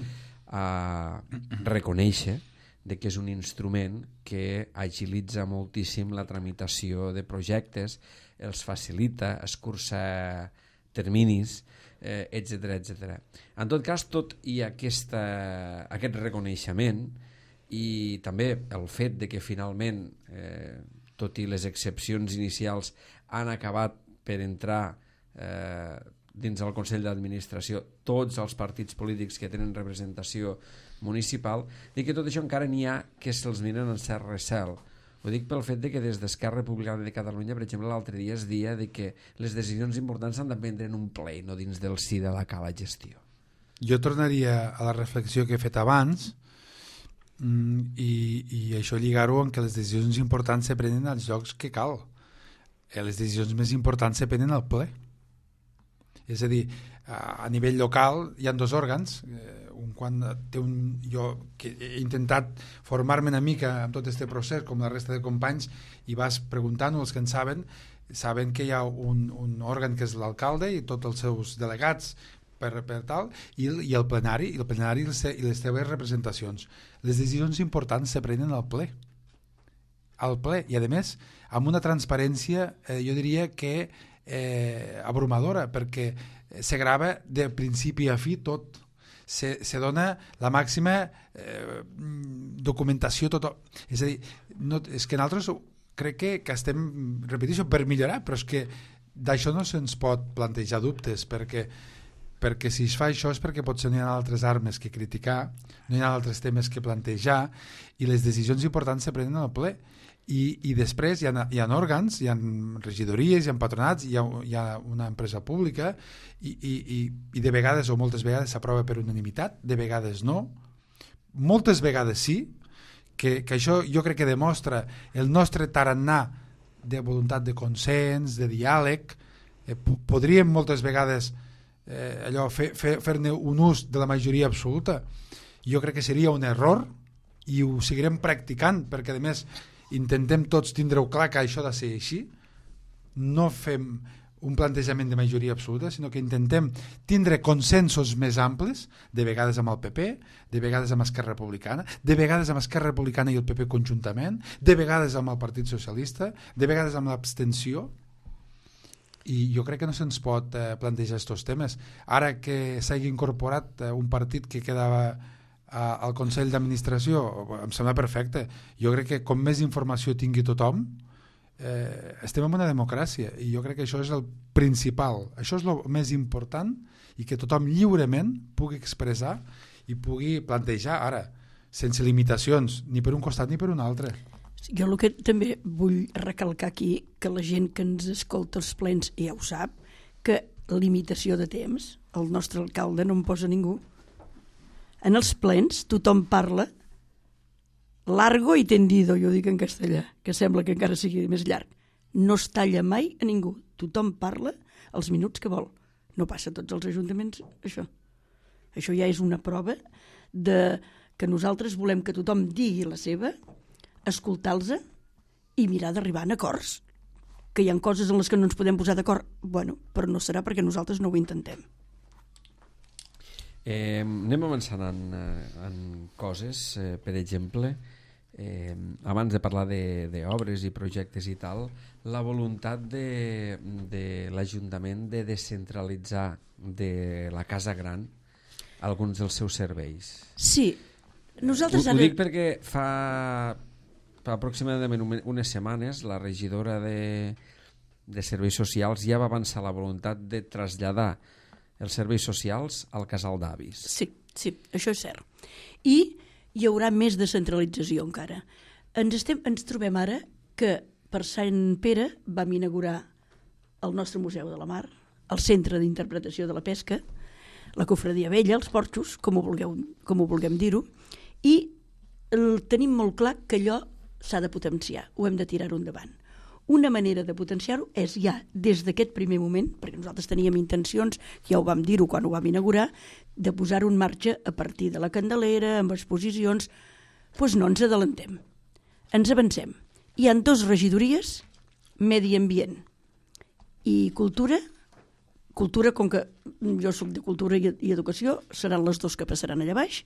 a reconèixer de que és un instrument que agilitza moltíssim la tramitació de projectes, els facilita, escurça terminis, eh, etcètera, etcètera. En tot cas, tot i aquesta, aquest reconeixement i també el fet de que finalment, eh, tot i les excepcions inicials, han acabat per entrar eh, dins del Consell d'Administració tots els partits polítics que tenen representació municipal, i que tot això encara n'hi ha que se'ls miren en cert recel. Ho dic pel fet de que des d'Esquerra Republicana de Catalunya, per exemple, l'altre dia es dia de que les decisions importants s'han de prendre en un ple, no dins del si de la cala gestió. Jo tornaria a la reflexió que he fet abans i, i això lligar-ho amb que les decisions importants se prenen als llocs que cal. Les decisions més importants se prenen al ple. És a dir, a nivell local hi ha dos òrgans, un quan té un, jo que he intentat formar-me una mica amb tot aquest procés com la resta de companys i vas preguntant-ho, els que en saben saben que hi ha un, un òrgan que és l'alcalde i tots els seus delegats per, per tal, i, i el plenari i el plenari i les, i les teves representacions. Les decisions importants se prenen al ple al ple i a més amb una transparència eh, jo diria que eh, abrumadora, perquè se grava de principi a fi tot. Se, se dona la màxima eh, documentació tot, és a dir, no, és que nosaltres crec que, que estem, repeteixo, per millorar, però és que d'això no se'ns pot plantejar dubtes, perquè, perquè si es fa això és perquè potser no hi ha altres armes que criticar, no hi ha altres temes que plantejar, i les decisions importants se prenen al ple. I, i després hi ha, hi ha òrgans, hi ha regidories, hi ha patronats, hi ha, hi ha una empresa pública i, i, i, i de vegades o moltes vegades s'aprova per unanimitat, de vegades no, moltes vegades sí, que, que això jo crec que demostra el nostre tarannà de voluntat de consens, de diàleg. Eh, podríem moltes vegades eh, allò fer, fer, fer-ne un ús de la majoria absoluta. Jo crec que seria un error i ho seguirem practicant, perquè a més intentem tots tindre-ho clar que això ha de ser així. No fem un plantejament de majoria absoluta, sinó que intentem tindre consensos més amplis, de vegades amb el P P, de vegades amb Esquerra Republicana, de vegades amb Esquerra Republicana i el P P conjuntament, de vegades amb el Partit Socialista, de vegades amb l'abstenció, i jo crec que no se'ns pot eh, plantejar aquests temes. Ara que s'hagi incorporat eh, un partit que quedava eh, al Consell d'Administració, em sembla perfecte. Jo crec que com més informació tingui tothom, Eh, estem en una democràcia i jo crec que això és el principal, això és el més important, i que tothom lliurement pugui expressar i pugui plantejar, ara, sense limitacions ni per un costat ni per un altre. Jo el que també vull recalcar aquí, que la gent que ens escolta els plens ja ho sap, que limitació de temps el nostre alcalde no en posa ningú. En els plens tothom parla largo i tendido, jo dic en castellà, que sembla que encara sigui més llarg. No es talla mai a ningú. Tothom parla els minuts que vol. No passa a tots els ajuntaments, això. Això ja és una prova de que nosaltres volem que tothom digui la seva, escoltar-los i mirar d'arribar a acords. Que hi ha coses en les que no ens podem posar d'acord, bueno, però no serà perquè nosaltres no ho intentem. Eh, anem avançant en, en coses, eh, per exemple, eh, abans de parlar d'obres i projectes i tal, la voluntat de, de l'Ajuntament de descentralitzar de la Casa Gran alguns dels seus serveis. Sí, nosaltres ho, ara... ho dic perquè fa, fa aproximadament unes setmanes la regidora de, de Serveis Socials ja va avançar la voluntat de traslladar els serveis socials al casal d'avis. Sí, sí, això és cert. I hi haurà més descentralització encara. Ens, estem, ens trobem ara que per Sant Pere vam inaugurar el nostre Museu de la Mar, el Centre d'Interpretació de la Pesca, la Cofradia Vella, els porxos, com ho vulgueu, com ho vulguem dir-ho, i el, tenim molt clar que allò s'ha de potenciar, ho hem de tirar-ho endavant. Una manera de potenciar-ho és ja des d'aquest primer moment, perquè nosaltres teníem intencions, ja ho vam dir-ho quan ho vam inaugurar, de posar-ho en marxa a partir de la Candelera, amb exposicions. Doncs no ens adelantem, ens avancem. Hi ha dues regidories, Medi Ambient i Cultura. Cultura, com que jo soc de Cultura i Educació, seran les dues que passaran allà baix,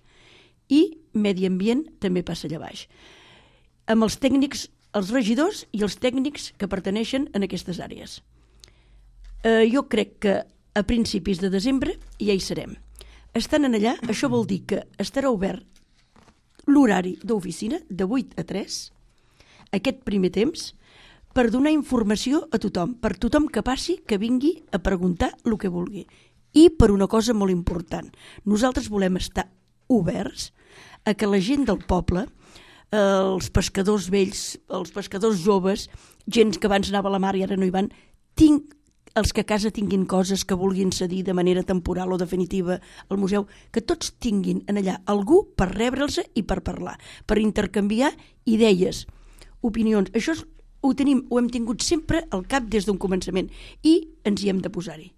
i Medi Ambient també passa allà baix. Amb els tècnics, els regidors i els tècnics que pertaneixen a aquestes àrees. Eh, jo crec que a principis de desembre ja hi serem. Estant en allà, això vol dir que estarà obert l'horari d'oficina de vuit a tres, aquest primer temps, per donar informació a tothom, per tothom que passi, que vingui a preguntar el que vulgui. I per una cosa molt important, nosaltres volem estar oberts a que la gent del poble, els pescadors vells, els pescadors joves, gent que abans anava a la mar i ara no hi van, tinc, els que a casa tinguin coses que vulguin cedir de manera temporal o definitiva al museu, que tots tinguin en allà algú per rebre'ls i per parlar, per intercanviar idees, opinions. Això és, ho, tenim, ho hem tingut sempre al cap des d'un començament i ens hi hem de posar-hi.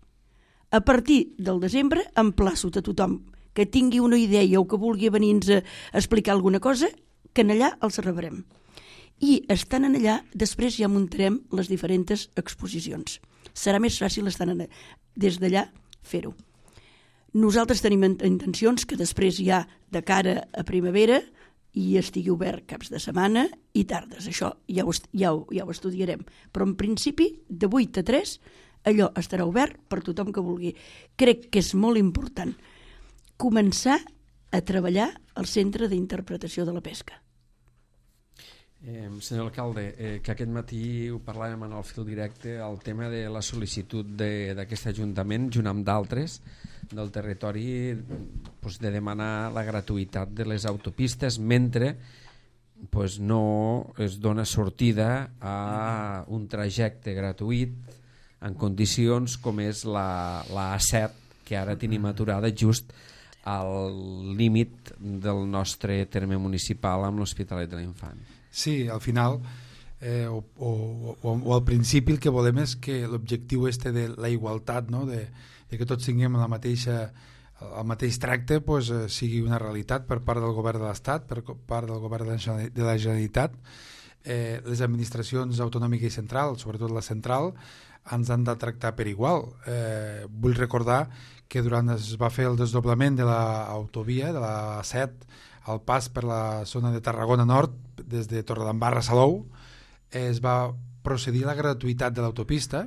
A partir del desembre emplaço a tothom que tingui una idea o que vulgui venir-nos a explicar alguna cosa, que en allà els rebrem. I estant en allà, després ja muntarem les diferents exposicions. Serà més fàcil estar en, des d'allà fer-ho. Nosaltres tenim intencions que després ja de cara a primavera i estigui obert caps de setmana i tardes. Això ja ho, ja ho, ja ho estudiarem. Però en principi, de vuit a tres, allò estarà obert per tothom que vulgui. Crec que és molt important començar a treballar al Centre d'Interpretació de la Pesca. Eh, senyor alcalde, eh, que aquest matí ho parlàvem en el fil directe, el tema de la sol·licitud d'aquest Ajuntament, junt amb d'altres del territori, pues, de demanar la gratuïtat de les autopistes mentre pues, no es dona sortida a un trajecte gratuït en condicions com és la, la A set, que ara tenim aturada just al límit del nostre terme municipal amb l'Hospitalet de l'Infant. Sí, al final eh, o, o, o, o al principi el que volem és que l'objectiu este de la igualtat, no? de, de que tots tinguem la mateixa, el mateix tracte, pues, eh, sigui una realitat per part del govern de l'Estat, per part del govern de la Generalitat, eh, les administracions autonòmiques i centrals, sobretot la central, ens han de tractar per igual. Eh, vull recordar que durant es va fer el desdoblament de l'autovia, de la set, al pas per la zona de Tarragona Nord, des de Torredembarra a Salou, es va procedir a la gratuïtat de l'autopista,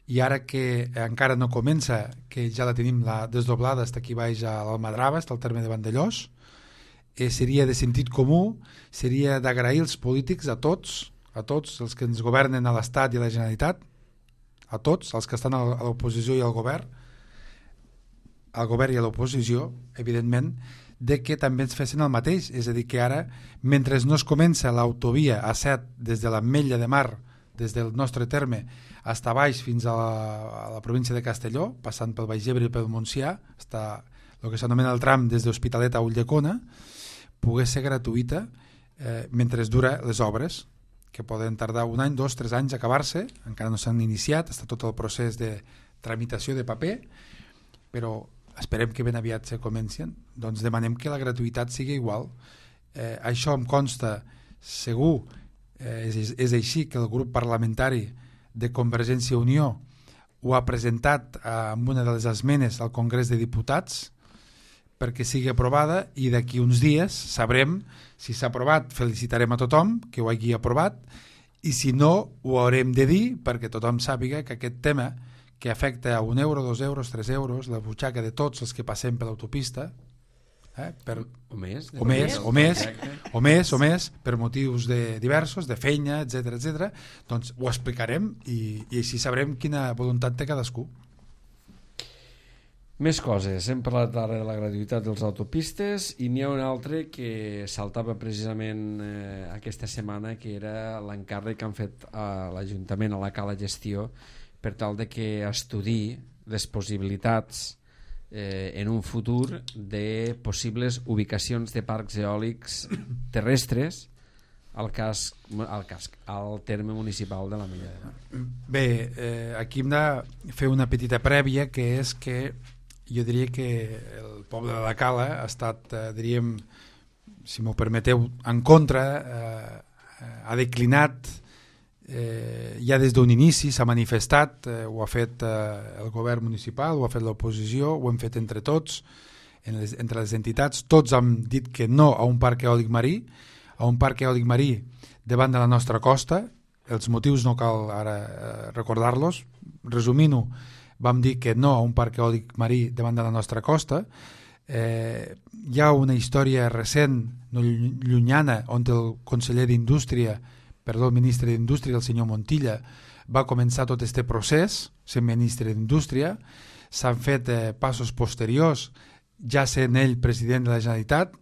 i ara que encara no comença, que ja la tenim la desdoblada fins aquí baix a l'Almadrava, fins al terme de Vandellós, eh, seria de sentit comú, seria d'agrair els polítics a tots, a tots els que ens governen a l'Estat i a la Generalitat, a tots els que estan a l'oposició i al govern, al govern i a l'oposició, evidentment, de que també ens fessin el mateix, és a dir, que ara, mentre no es comença l'autovia A set des de l'Ametlla de Mar, des del nostre terme, fins a baix fins a la, a la província de Castelló, passant pel Baix Ebre i pel Montsià, fins a el que s'anomena el tram des d'Hospitalet a Ulldecona, pogués ser gratuïta eh, mentre es dura les obres, que poden tardar un any, dos, tres anys a acabar-se, encara no s'han iniciat, està tot el procés de tramitació de paper, però esperem que ben aviat se comencin, doncs demanem que la gratuïtat sigui igual. Eh, això em consta segur, eh, és, és així que el grup parlamentari de Convergència i Unió ho ha presentat eh, amb una de les esmenes al Congrés de Diputats perquè sigui aprovada, i d'aquí uns dies sabrem si s'ha aprovat. Felicitarem a tothom que ho hagi aprovat, i si no ho haurem de dir perquè tothom sàpiga que aquest tema, que afecta a un euro, dos euros, tres euros, la butxaca de tots els que passem per l'autopista, eh, per, o més, o més, o més, o més, o més, per motius de diversos, de feina, etcètera, etcètera, doncs ho explicarem i, i així sabrem quina voluntat té cadascú. Més coses. Hem parlat ara de la gratuïtat dels autopistes, i n'hi ha un altre que saltava precisament eh, aquesta setmana, que era l'encàrrec que han fet a l'Ajuntament, a la Cala Gestió, per tal de que estudi les possibilitats eh, en un futur de possibles ubicacions de parcs eòlics terrestres al casc, al casc, al terme municipal de l'Ametlla de Mar. Bé, eh, aquí hem de fer una petita prèvia, que és que jo diria que el poble de la Cala ha estat, eh, diríem, si m'ho permeteu, en contra, eh, ha declinat, eh, ja des d'un inici s'ha manifestat, eh, ho ha fet eh, el govern municipal, ho ha fet l'oposició, ho hem fet entre tots, en les, entre les entitats, tots han dit que no a un parc eòlic marí, a un parc eòlic marí davant de la nostra costa. Els motius no cal ara eh, recordar-los, resumint-ho, vam dir que no a un parc eòlic marí davant de la nostra costa. Eh, hi ha una història recent, no llunyana, on el conseller d'Indústria, perdó, el ministre d'Indústria, el senyor Montilla, va començar tot aquest procés, sent ministre d'Indústria. S'han fet eh, passos posteriors, ja sent ell president de la Generalitat.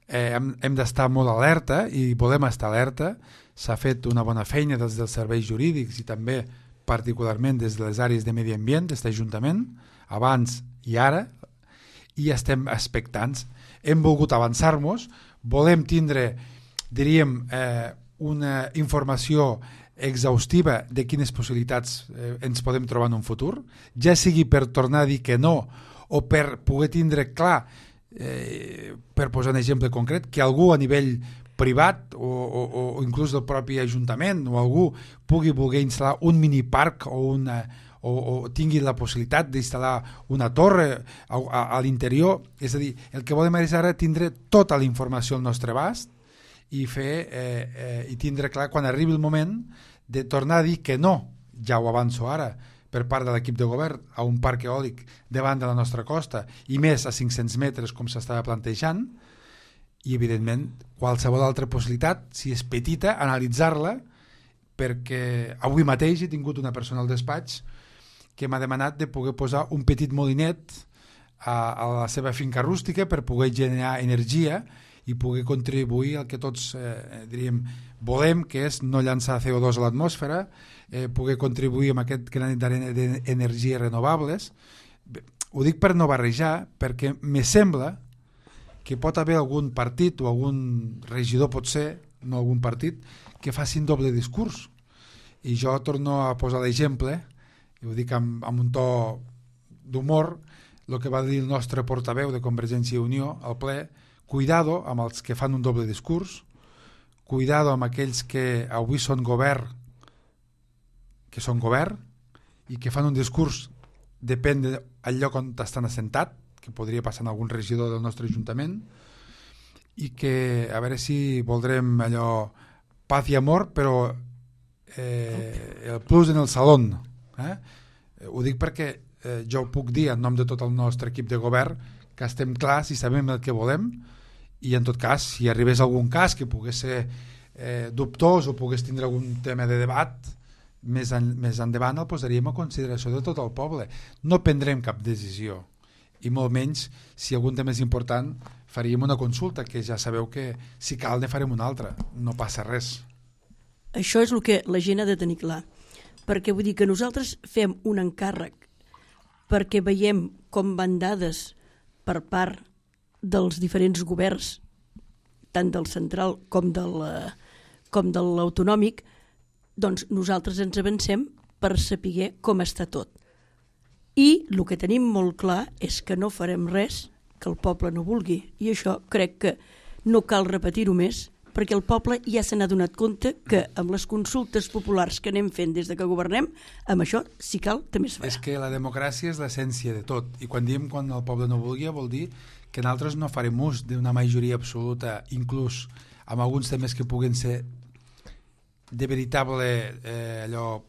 Eh, hem hem d'estar molt alerta, i volem estar alerta. S'ha fet una bona feina des dels serveis jurídics i també particularment des de les àrees de medi ambient d'aquest Ajuntament, abans i ara, i estem expectants. Hem volgut avançar-nos, volem tindre, diríem, eh, una informació exhaustiva de quines possibilitats eh, ens podem trobar en un futur, ja sigui per tornar a dir que no, o per poder tindre clar, eh, per posar un exemple concret, que algú a nivell privat o, o, o inclús del propi Ajuntament o algú pugui voler instal·lar un miniparc o, una, o, o tingui la possibilitat d'instal·lar una torre a, a, a l'interior. És a dir, el que volem és ara tindre tota la informació al nostre abast i fer eh, eh, i tindre clar quan arribi el moment de tornar a dir que no, ja ho avanço ara, per part de l'equip de govern, a un parc eòlic davant de la nostra costa, i més a cinc-cents metres com s'estava plantejant. I evidentment qualsevol altra possibilitat, si és petita, analitzar-la, perquè avui mateix he tingut una persona al despatx que m'ha demanat de poder posar un petit molinet a, a la seva finca rústica per poder generar energia i poder contribuir al que tots eh, diríem volem, que és no llançar C O dos a l'atmosfera, eh, poder contribuir amb aquest granet d'energies renovables. Bé, ho dic per no barrejar, perquè me sembla que pot haver algun partit o algun regidor, potser, no algun partit, que faci un doble discurs. I jo torno a posar l'exemple, i ho dic amb, amb un to d'humor, el que va dir el nostre portaveu de Convergència i Unió al ple: cuidado amb els que fan un doble discurs, cuidado amb aquells que avui són govern, que són govern, i que fan un discurs depèn del lloc on estan assentat, que podria passar en algun regidor del nostre ajuntament, i que a veure si voldrem allò paz i amor, però eh, el plus en el salón. Eh? Ho dic perquè eh, jo puc dir en nom de tot el nostre equip de govern que estem clars i sabem el que volem, i en tot cas, si arribés algun cas que pogués ser eh, dubtós o pogués tindre algun tema de debat, més, en, més endavant el posaríem a consideració de tot el poble. No prendrem cap decisió, i molt menys si algun tema és important faríem una consulta, que ja sabeu que si cal ne farem una altra, no passa res. Això és el que la gent ha de tenir clar, perquè vull dir que nosaltres fem un encàrrec perquè veiem com van dades per part dels diferents governs, tant del central com del, com de l'autonòmic, doncs nosaltres ens avancem per saber com està tot. I el que tenim molt clar és que no farem res que el poble no vulgui, i això crec que no cal repetir-ho més, perquè el poble ja se n'ha donat compte que amb les consultes populars que anem fent des de que governem, amb això, si cal, també es farà. És que la democràcia és l'essència de tot, i quan diem quan el poble no vulgui vol dir que nosaltres no farem ús d'una majoria absoluta, inclús amb alguns temes que puguen ser de veritable eh, allò,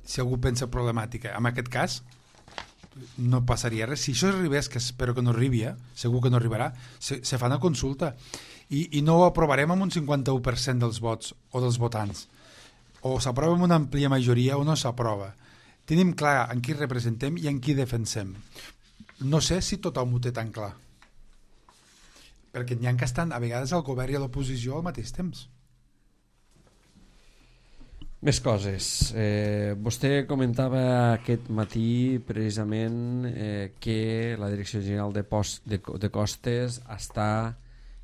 si algú pensa problemàtica. En aquest cas no passaria res. Si això arribés, que espero que no arribi, eh? Segur que no arribarà, se, se fa una consulta i, i no ho aprovarem amb un cinquanta-u per cent dels vots o dels votants, o s'aprova amb una àmplia majoria o no s'aprova. Tenim clar en qui representem i en qui defensem. No sé si tothom ho té tan clar, perquè n'hi ha que estan a vegades al govern i a l'oposició al mateix temps. Més coses. Eh, vostè comentava aquest matí precisament eh, que la Direcció General de, Post, de, de Costes està,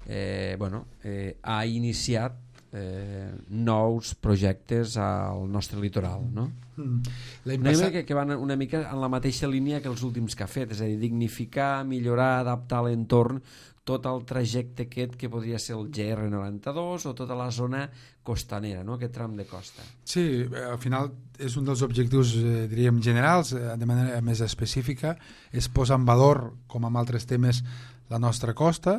eh, bueno, eh, ha iniciat eh, nous projectes al nostre litoral, no? Mm. Una mica que, que van una mica en la mateixa línia que els últims que ha fet, és a dir, dignificar, millorar, adaptar l'entorn, tot el trajecte aquest que podria ser el G R noranta-dos o tota la zona costanera, no? Aquest tram de costa. Sí, al final és un dels objectius, eh, diríem, generals, eh, de manera més específica, és posar en valor, com amb altres temes, la nostra costa,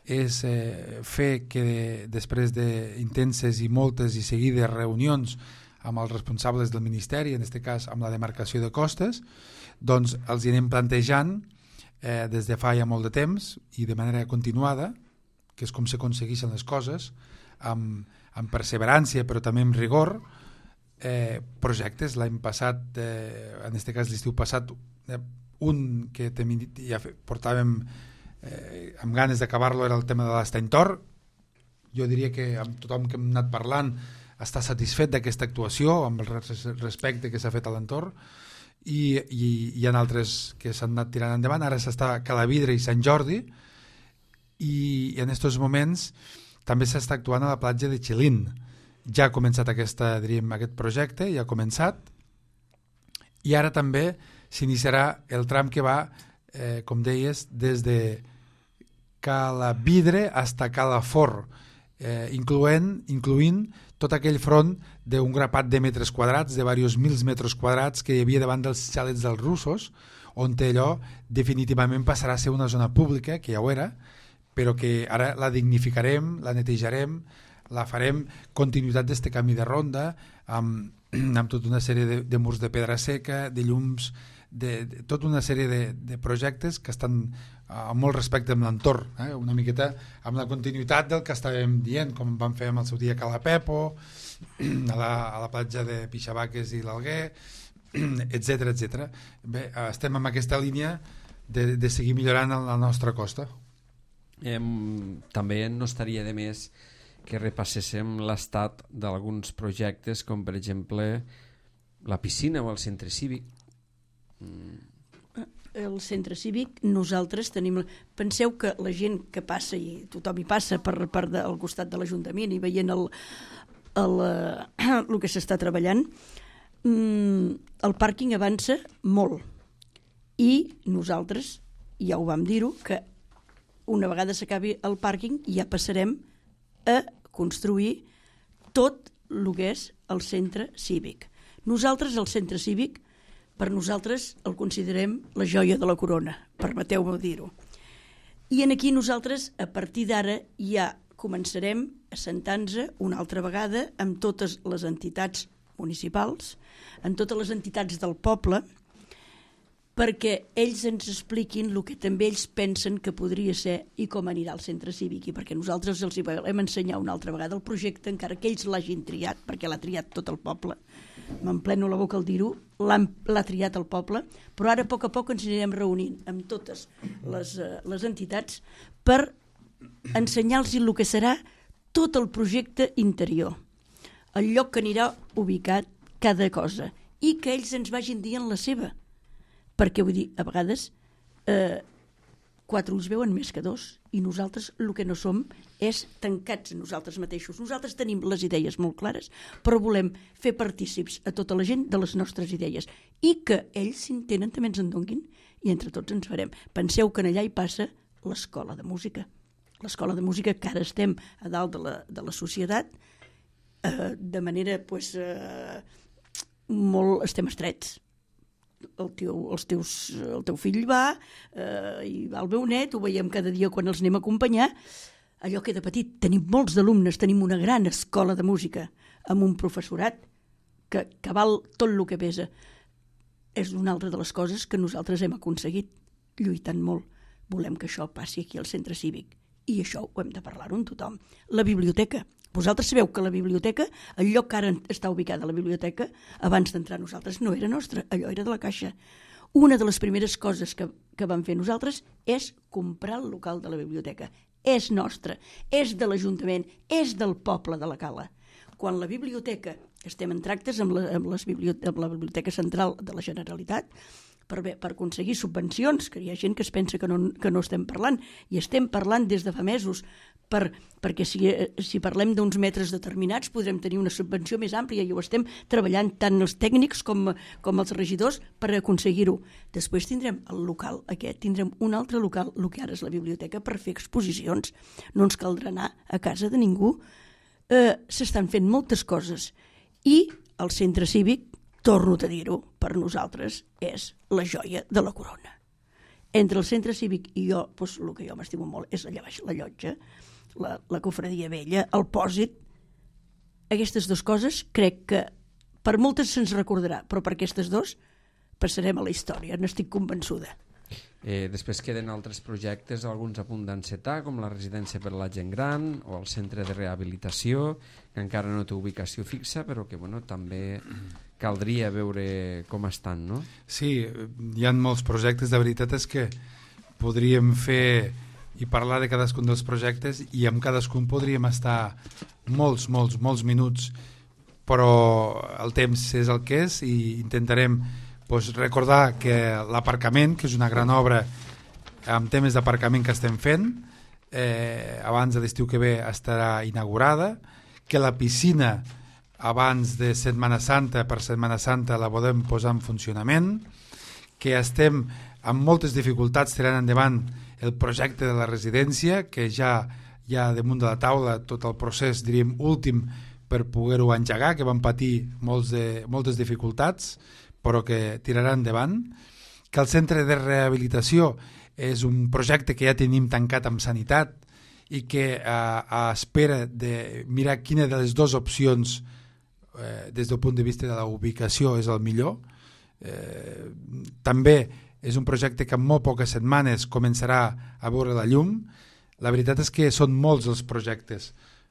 és eh, fer que després d'intenses i moltes i seguides reunions amb els responsables del Ministeri, en aquest cas amb la demarcació de costes, doncs els hi anem plantejant Eh, des de fa ja molt de temps i de manera continuada, que és com s'aconsegueixen les coses, amb, amb perseverància però també amb rigor, eh, projectes. L'any passat, eh, en aquest cas l'estiu passat, eh, un que ja portàvem eh, amb ganes d'acabar-lo era el tema de l'Estany Tor. Jo diria que amb tothom que hem anat parlant està satisfet d'aquesta actuació, amb el respecte que s'ha fet a l'entorn. I, i hi ha altres que s'han anat tirant endavant. Ara s'està Calavidre i Sant Jordi, i en aquests moments també s'està actuant a la platja de Xilín. Ja ha començat aquesta, diríem, aquest projecte, ja ha començat, i ara també s'iniciarà el tram que va, eh, com deies, des de Calavidre fins a Calafort, eh, incloent, incloent tot aquell front d'un grapat de metres quadrats, de diversos mils metres quadrats que hi havia davant dels xalets dels russos, on allò definitivament passarà a ser una zona pública, que ja ho era, però que ara la dignificarem, la netejarem, la farem continuïtat d'este camí de ronda, amb, amb tota una sèrie de, de murs de pedra seca, de llums, de, de tota una sèrie de, de projectes que estan amb molt respecte amb l'entorn, eh? Una miqueta amb la continuïtat del que estàvem dient, com vam fer amb el seu dia a Calapepo, a la, a la platja de Pixabaques i l'Alguer, etcètera, etcètera. Bé, estem en aquesta línia de, de seguir millorant la nostra costa. Eh, també no estaria de més que repasséssim l'estat d'alguns projectes, com per exemple la piscina o el centre cívic. Mm. El centre cívic, nosaltres tenim... Penseu que la gent que passa, i tothom hi passa per, per de, al costat de l'Ajuntament i veient el, el, el que s'està treballant, el pàrquing avança molt. I nosaltres, ja ho vam dir-ho, que una vegada s'acabi el pàrquing ja passarem a construir tot el que és el centre cívic. Nosaltres, el centre cívic, Per nosaltres el considerem la joia de la corona, permeteu-me dir-ho. I en aquí nosaltres, a partir d'ara, ja començarem a sentar-nos una altra vegada amb totes les entitats municipals, amb totes les entitats del poble, perquè ells ens expliquin el que també ells pensen que podria ser i com anirà el centre cívic, i perquè nosaltres els hi volem ensenyar una altra vegada el projecte, encara que ells l'hagin triat, perquè l'ha triat tot el poble. M'empleno la boca al dir-ho, l'ha triat el poble, però ara a poc a poc ens anirem reunint amb totes les, uh, les entitats per ensenyar-los el que serà tot el projecte interior, el lloc que anirà ubicat cada cosa, i que ells ens vagin dient la seva. Perquè, vull dir, a vegades eh, quatre ulls veuen més que dos, i nosaltres el que no som és tancats a nosaltres mateixos. Nosaltres tenim les idees molt clares, però volem fer partícips a tota la gent de les nostres idees, i que ells, si en tenen, també ens en donguin, i entre tots ens farem. Penseu que allà hi passa l'escola de música. L'escola de música, que ara estem a dalt de la, de la societat, eh, de manera, pues, eh, molt, estem estrets. El teu, els teus, el teu fill va, eh, i va el meu net, ho veiem cada dia quan els anem a acompanyar. Allò queda petit. Tenim molts d'alumnes, tenim una gran escola de música, amb un professorat que, que val tot el que pesa. És una altra de les coses que nosaltres hem aconseguit, lluitant molt. Volem que això passi aquí al centre cívic, i això ho hem de parlar-ho amb tothom. La biblioteca. Vosaltres sabeu que la biblioteca, el lloc que ara està ubicada la biblioteca, abans d'entrar nosaltres no era nostra, allò era de la Caixa. Una de les primeres coses que, que vam fer nosaltres és comprar el local de la biblioteca. És nostre, és de l'Ajuntament, és del poble de la Cala. Quan la biblioteca, estem en tractes amb la, amb les bibliote- amb la Biblioteca Central de la Generalitat, per, per aconseguir subvencions, que hi ha gent que es pensa que no, que no estem parlant, i estem parlant des de fa mesos, per, perquè si, si parlem d'uns metres determinats podrem tenir una subvenció més àmplia, i ho estem treballant tant els tècnics com, com els regidors per aconseguir-ho. Després tindrem el local aquest, tindrem un altre local, el que ara és la biblioteca, per fer exposicions. No ens caldrà anar a casa de ningú. Eh, s'estan fent moltes coses, i el centre cívic, torno a dir-ho, per nosaltres és la joia de la corona. Entre el centre cívic i jo, doncs, el que jo m'estimo molt és allà baix la llotja, la, la cofradia vella, el pòsit. Aquestes dues coses crec que per moltes se'ns recordarà, però per aquestes dues passarem a la història, n'estic convençuda. Eh, després queden altres projectes, alguns a punt d'encetar, com la residència per a la gent gran o el centre de rehabilitació, que encara no té ubicació fixa, però que bueno, també caldria veure com estan, no? Sí, hi ha molts projectes, de veritat és que podríem fer i parlar de cadascun dels projectes, i amb cadascun podríem estar molts, molts, molts minuts, però el temps és el que és, i intentarem pues, recordar que l'aparcament, que és una gran obra amb temes d'aparcament que estem fent, eh, abans de l'estiu que ve estarà inaugurada, que la piscina abans de Setmana Santa, per Setmana Santa la podem posar en funcionament, que estem amb moltes dificultats tirant endavant el projecte de la residència, que ja hi ha damunt de la taula tot el procés, diríem, últim per poder-ho engegar, que van patir molts de, moltes dificultats, però que tirarà endavant, que el centre de rehabilitació és un projecte que ja tenim tancat amb sanitat i que a, a espera de mirar quina de les dues opcions eh, des del punt de vista de la ubicació és el millor. Eh, també és un projecte que en molt poques setmanes començarà a veure la llum. La veritat és que són molts els projectes,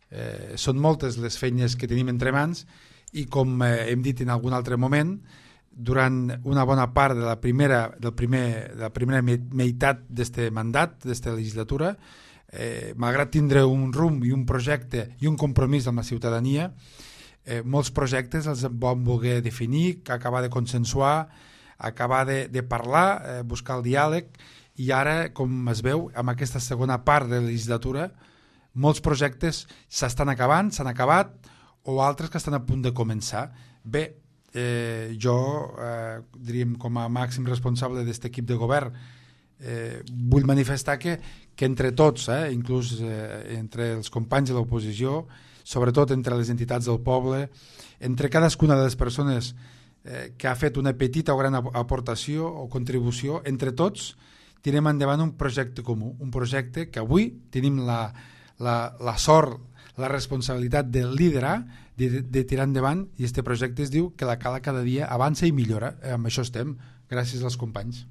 eh, són moltes les feines que tenim entre mans, i com eh, hem dit en algun altre moment, durant una bona part de la primera, del primer, de la primera meitat d'aquest mandat, d'aquesta legislatura, eh, malgrat tindre un rumb i un projecte i un compromís amb la ciutadania, eh, molts projectes els vam voler definir, acabar de consensuar, acabar de, de parlar, eh, buscar el diàleg, i ara, com es veu, amb aquesta segona part de la legislatura, molts projectes s'estan acabant, s'han acabat, o altres que estan a punt de començar. Bé, eh, jo, eh, diríem, com a màxim responsable d'aquest equip de govern, eh, vull manifestar que, que entre tots, eh, inclús eh, entre els companys de l'oposició, sobretot entre les entitats del poble, entre cadascuna de les persones eh, que ha fet una petita o gran aportació o contribució, entre tots tirem endavant un projecte comú, un projecte que avui tenim la, la, la sort, la responsabilitat de liderar, de, de tirar endavant, i este projecte es diu que la Cala cada dia avança i millora. Eh, amb això estem, gràcies als companys.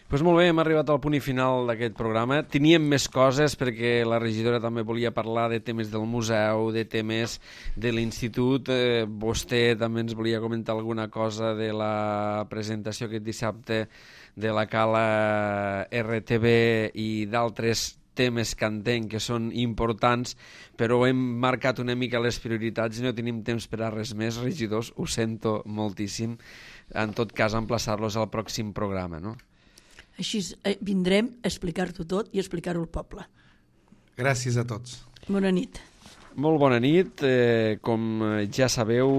Pues molt bé, hem arribat al punt i final d'aquest programa. Teníem més coses perquè la regidora també volia parlar de temes del museu, de temes de l'institut. Eh, vostè també ens volia comentar alguna cosa de la presentació aquest dissabte de la Cala R T V i d'altres temes que entenc que són importants, però hem marcat una mica les prioritats i no tenim temps per a res més. Regidors, ho sento moltíssim. En tot cas, emplaçar-los al pròxim programa, no? Així vindrem a explicar-t'ho tot i explicar-ho al poble. Gràcies a tots. Bona nit. Molt bona nit. Eh, com ja sabeu,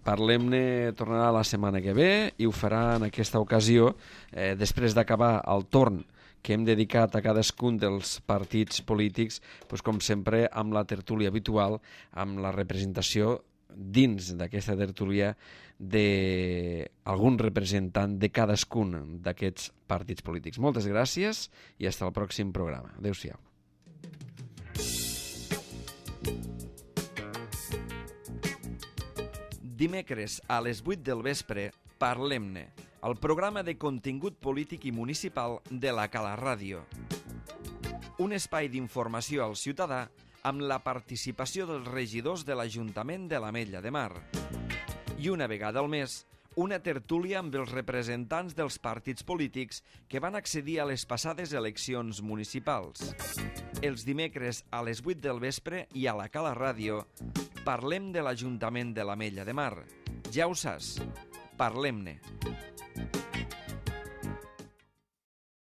Parlem-ne tornarà la setmana que ve i ho farà en aquesta ocasió, eh, després d'acabar el torn que hem dedicat a cadascun dels partits polítics, doncs, com sempre, amb la tertúlia habitual, amb la representació dins d'aquesta tertúlia d'algun representant de cadascun d'aquests partits polítics. Moltes gràcies i fins al pròxim programa. Adéu-siau. Dimecres a les vuit del vespre, Parlem-ne, el programa de contingut polític i municipal de la Cala Ràdio. Un espai d'informació al ciutadà amb la participació dels regidors de l'Ajuntament de l'Ametlla de Mar. I una vegada al mes, una tertúlia amb els representants dels partits polítics que van accedir a les passades eleccions municipals. Els dimecres a les vuit del vespre i a la Cala Ràdio parlem de l'Ajuntament de l'Ametlla de Mar. Ja ho saps, Parlem-ne.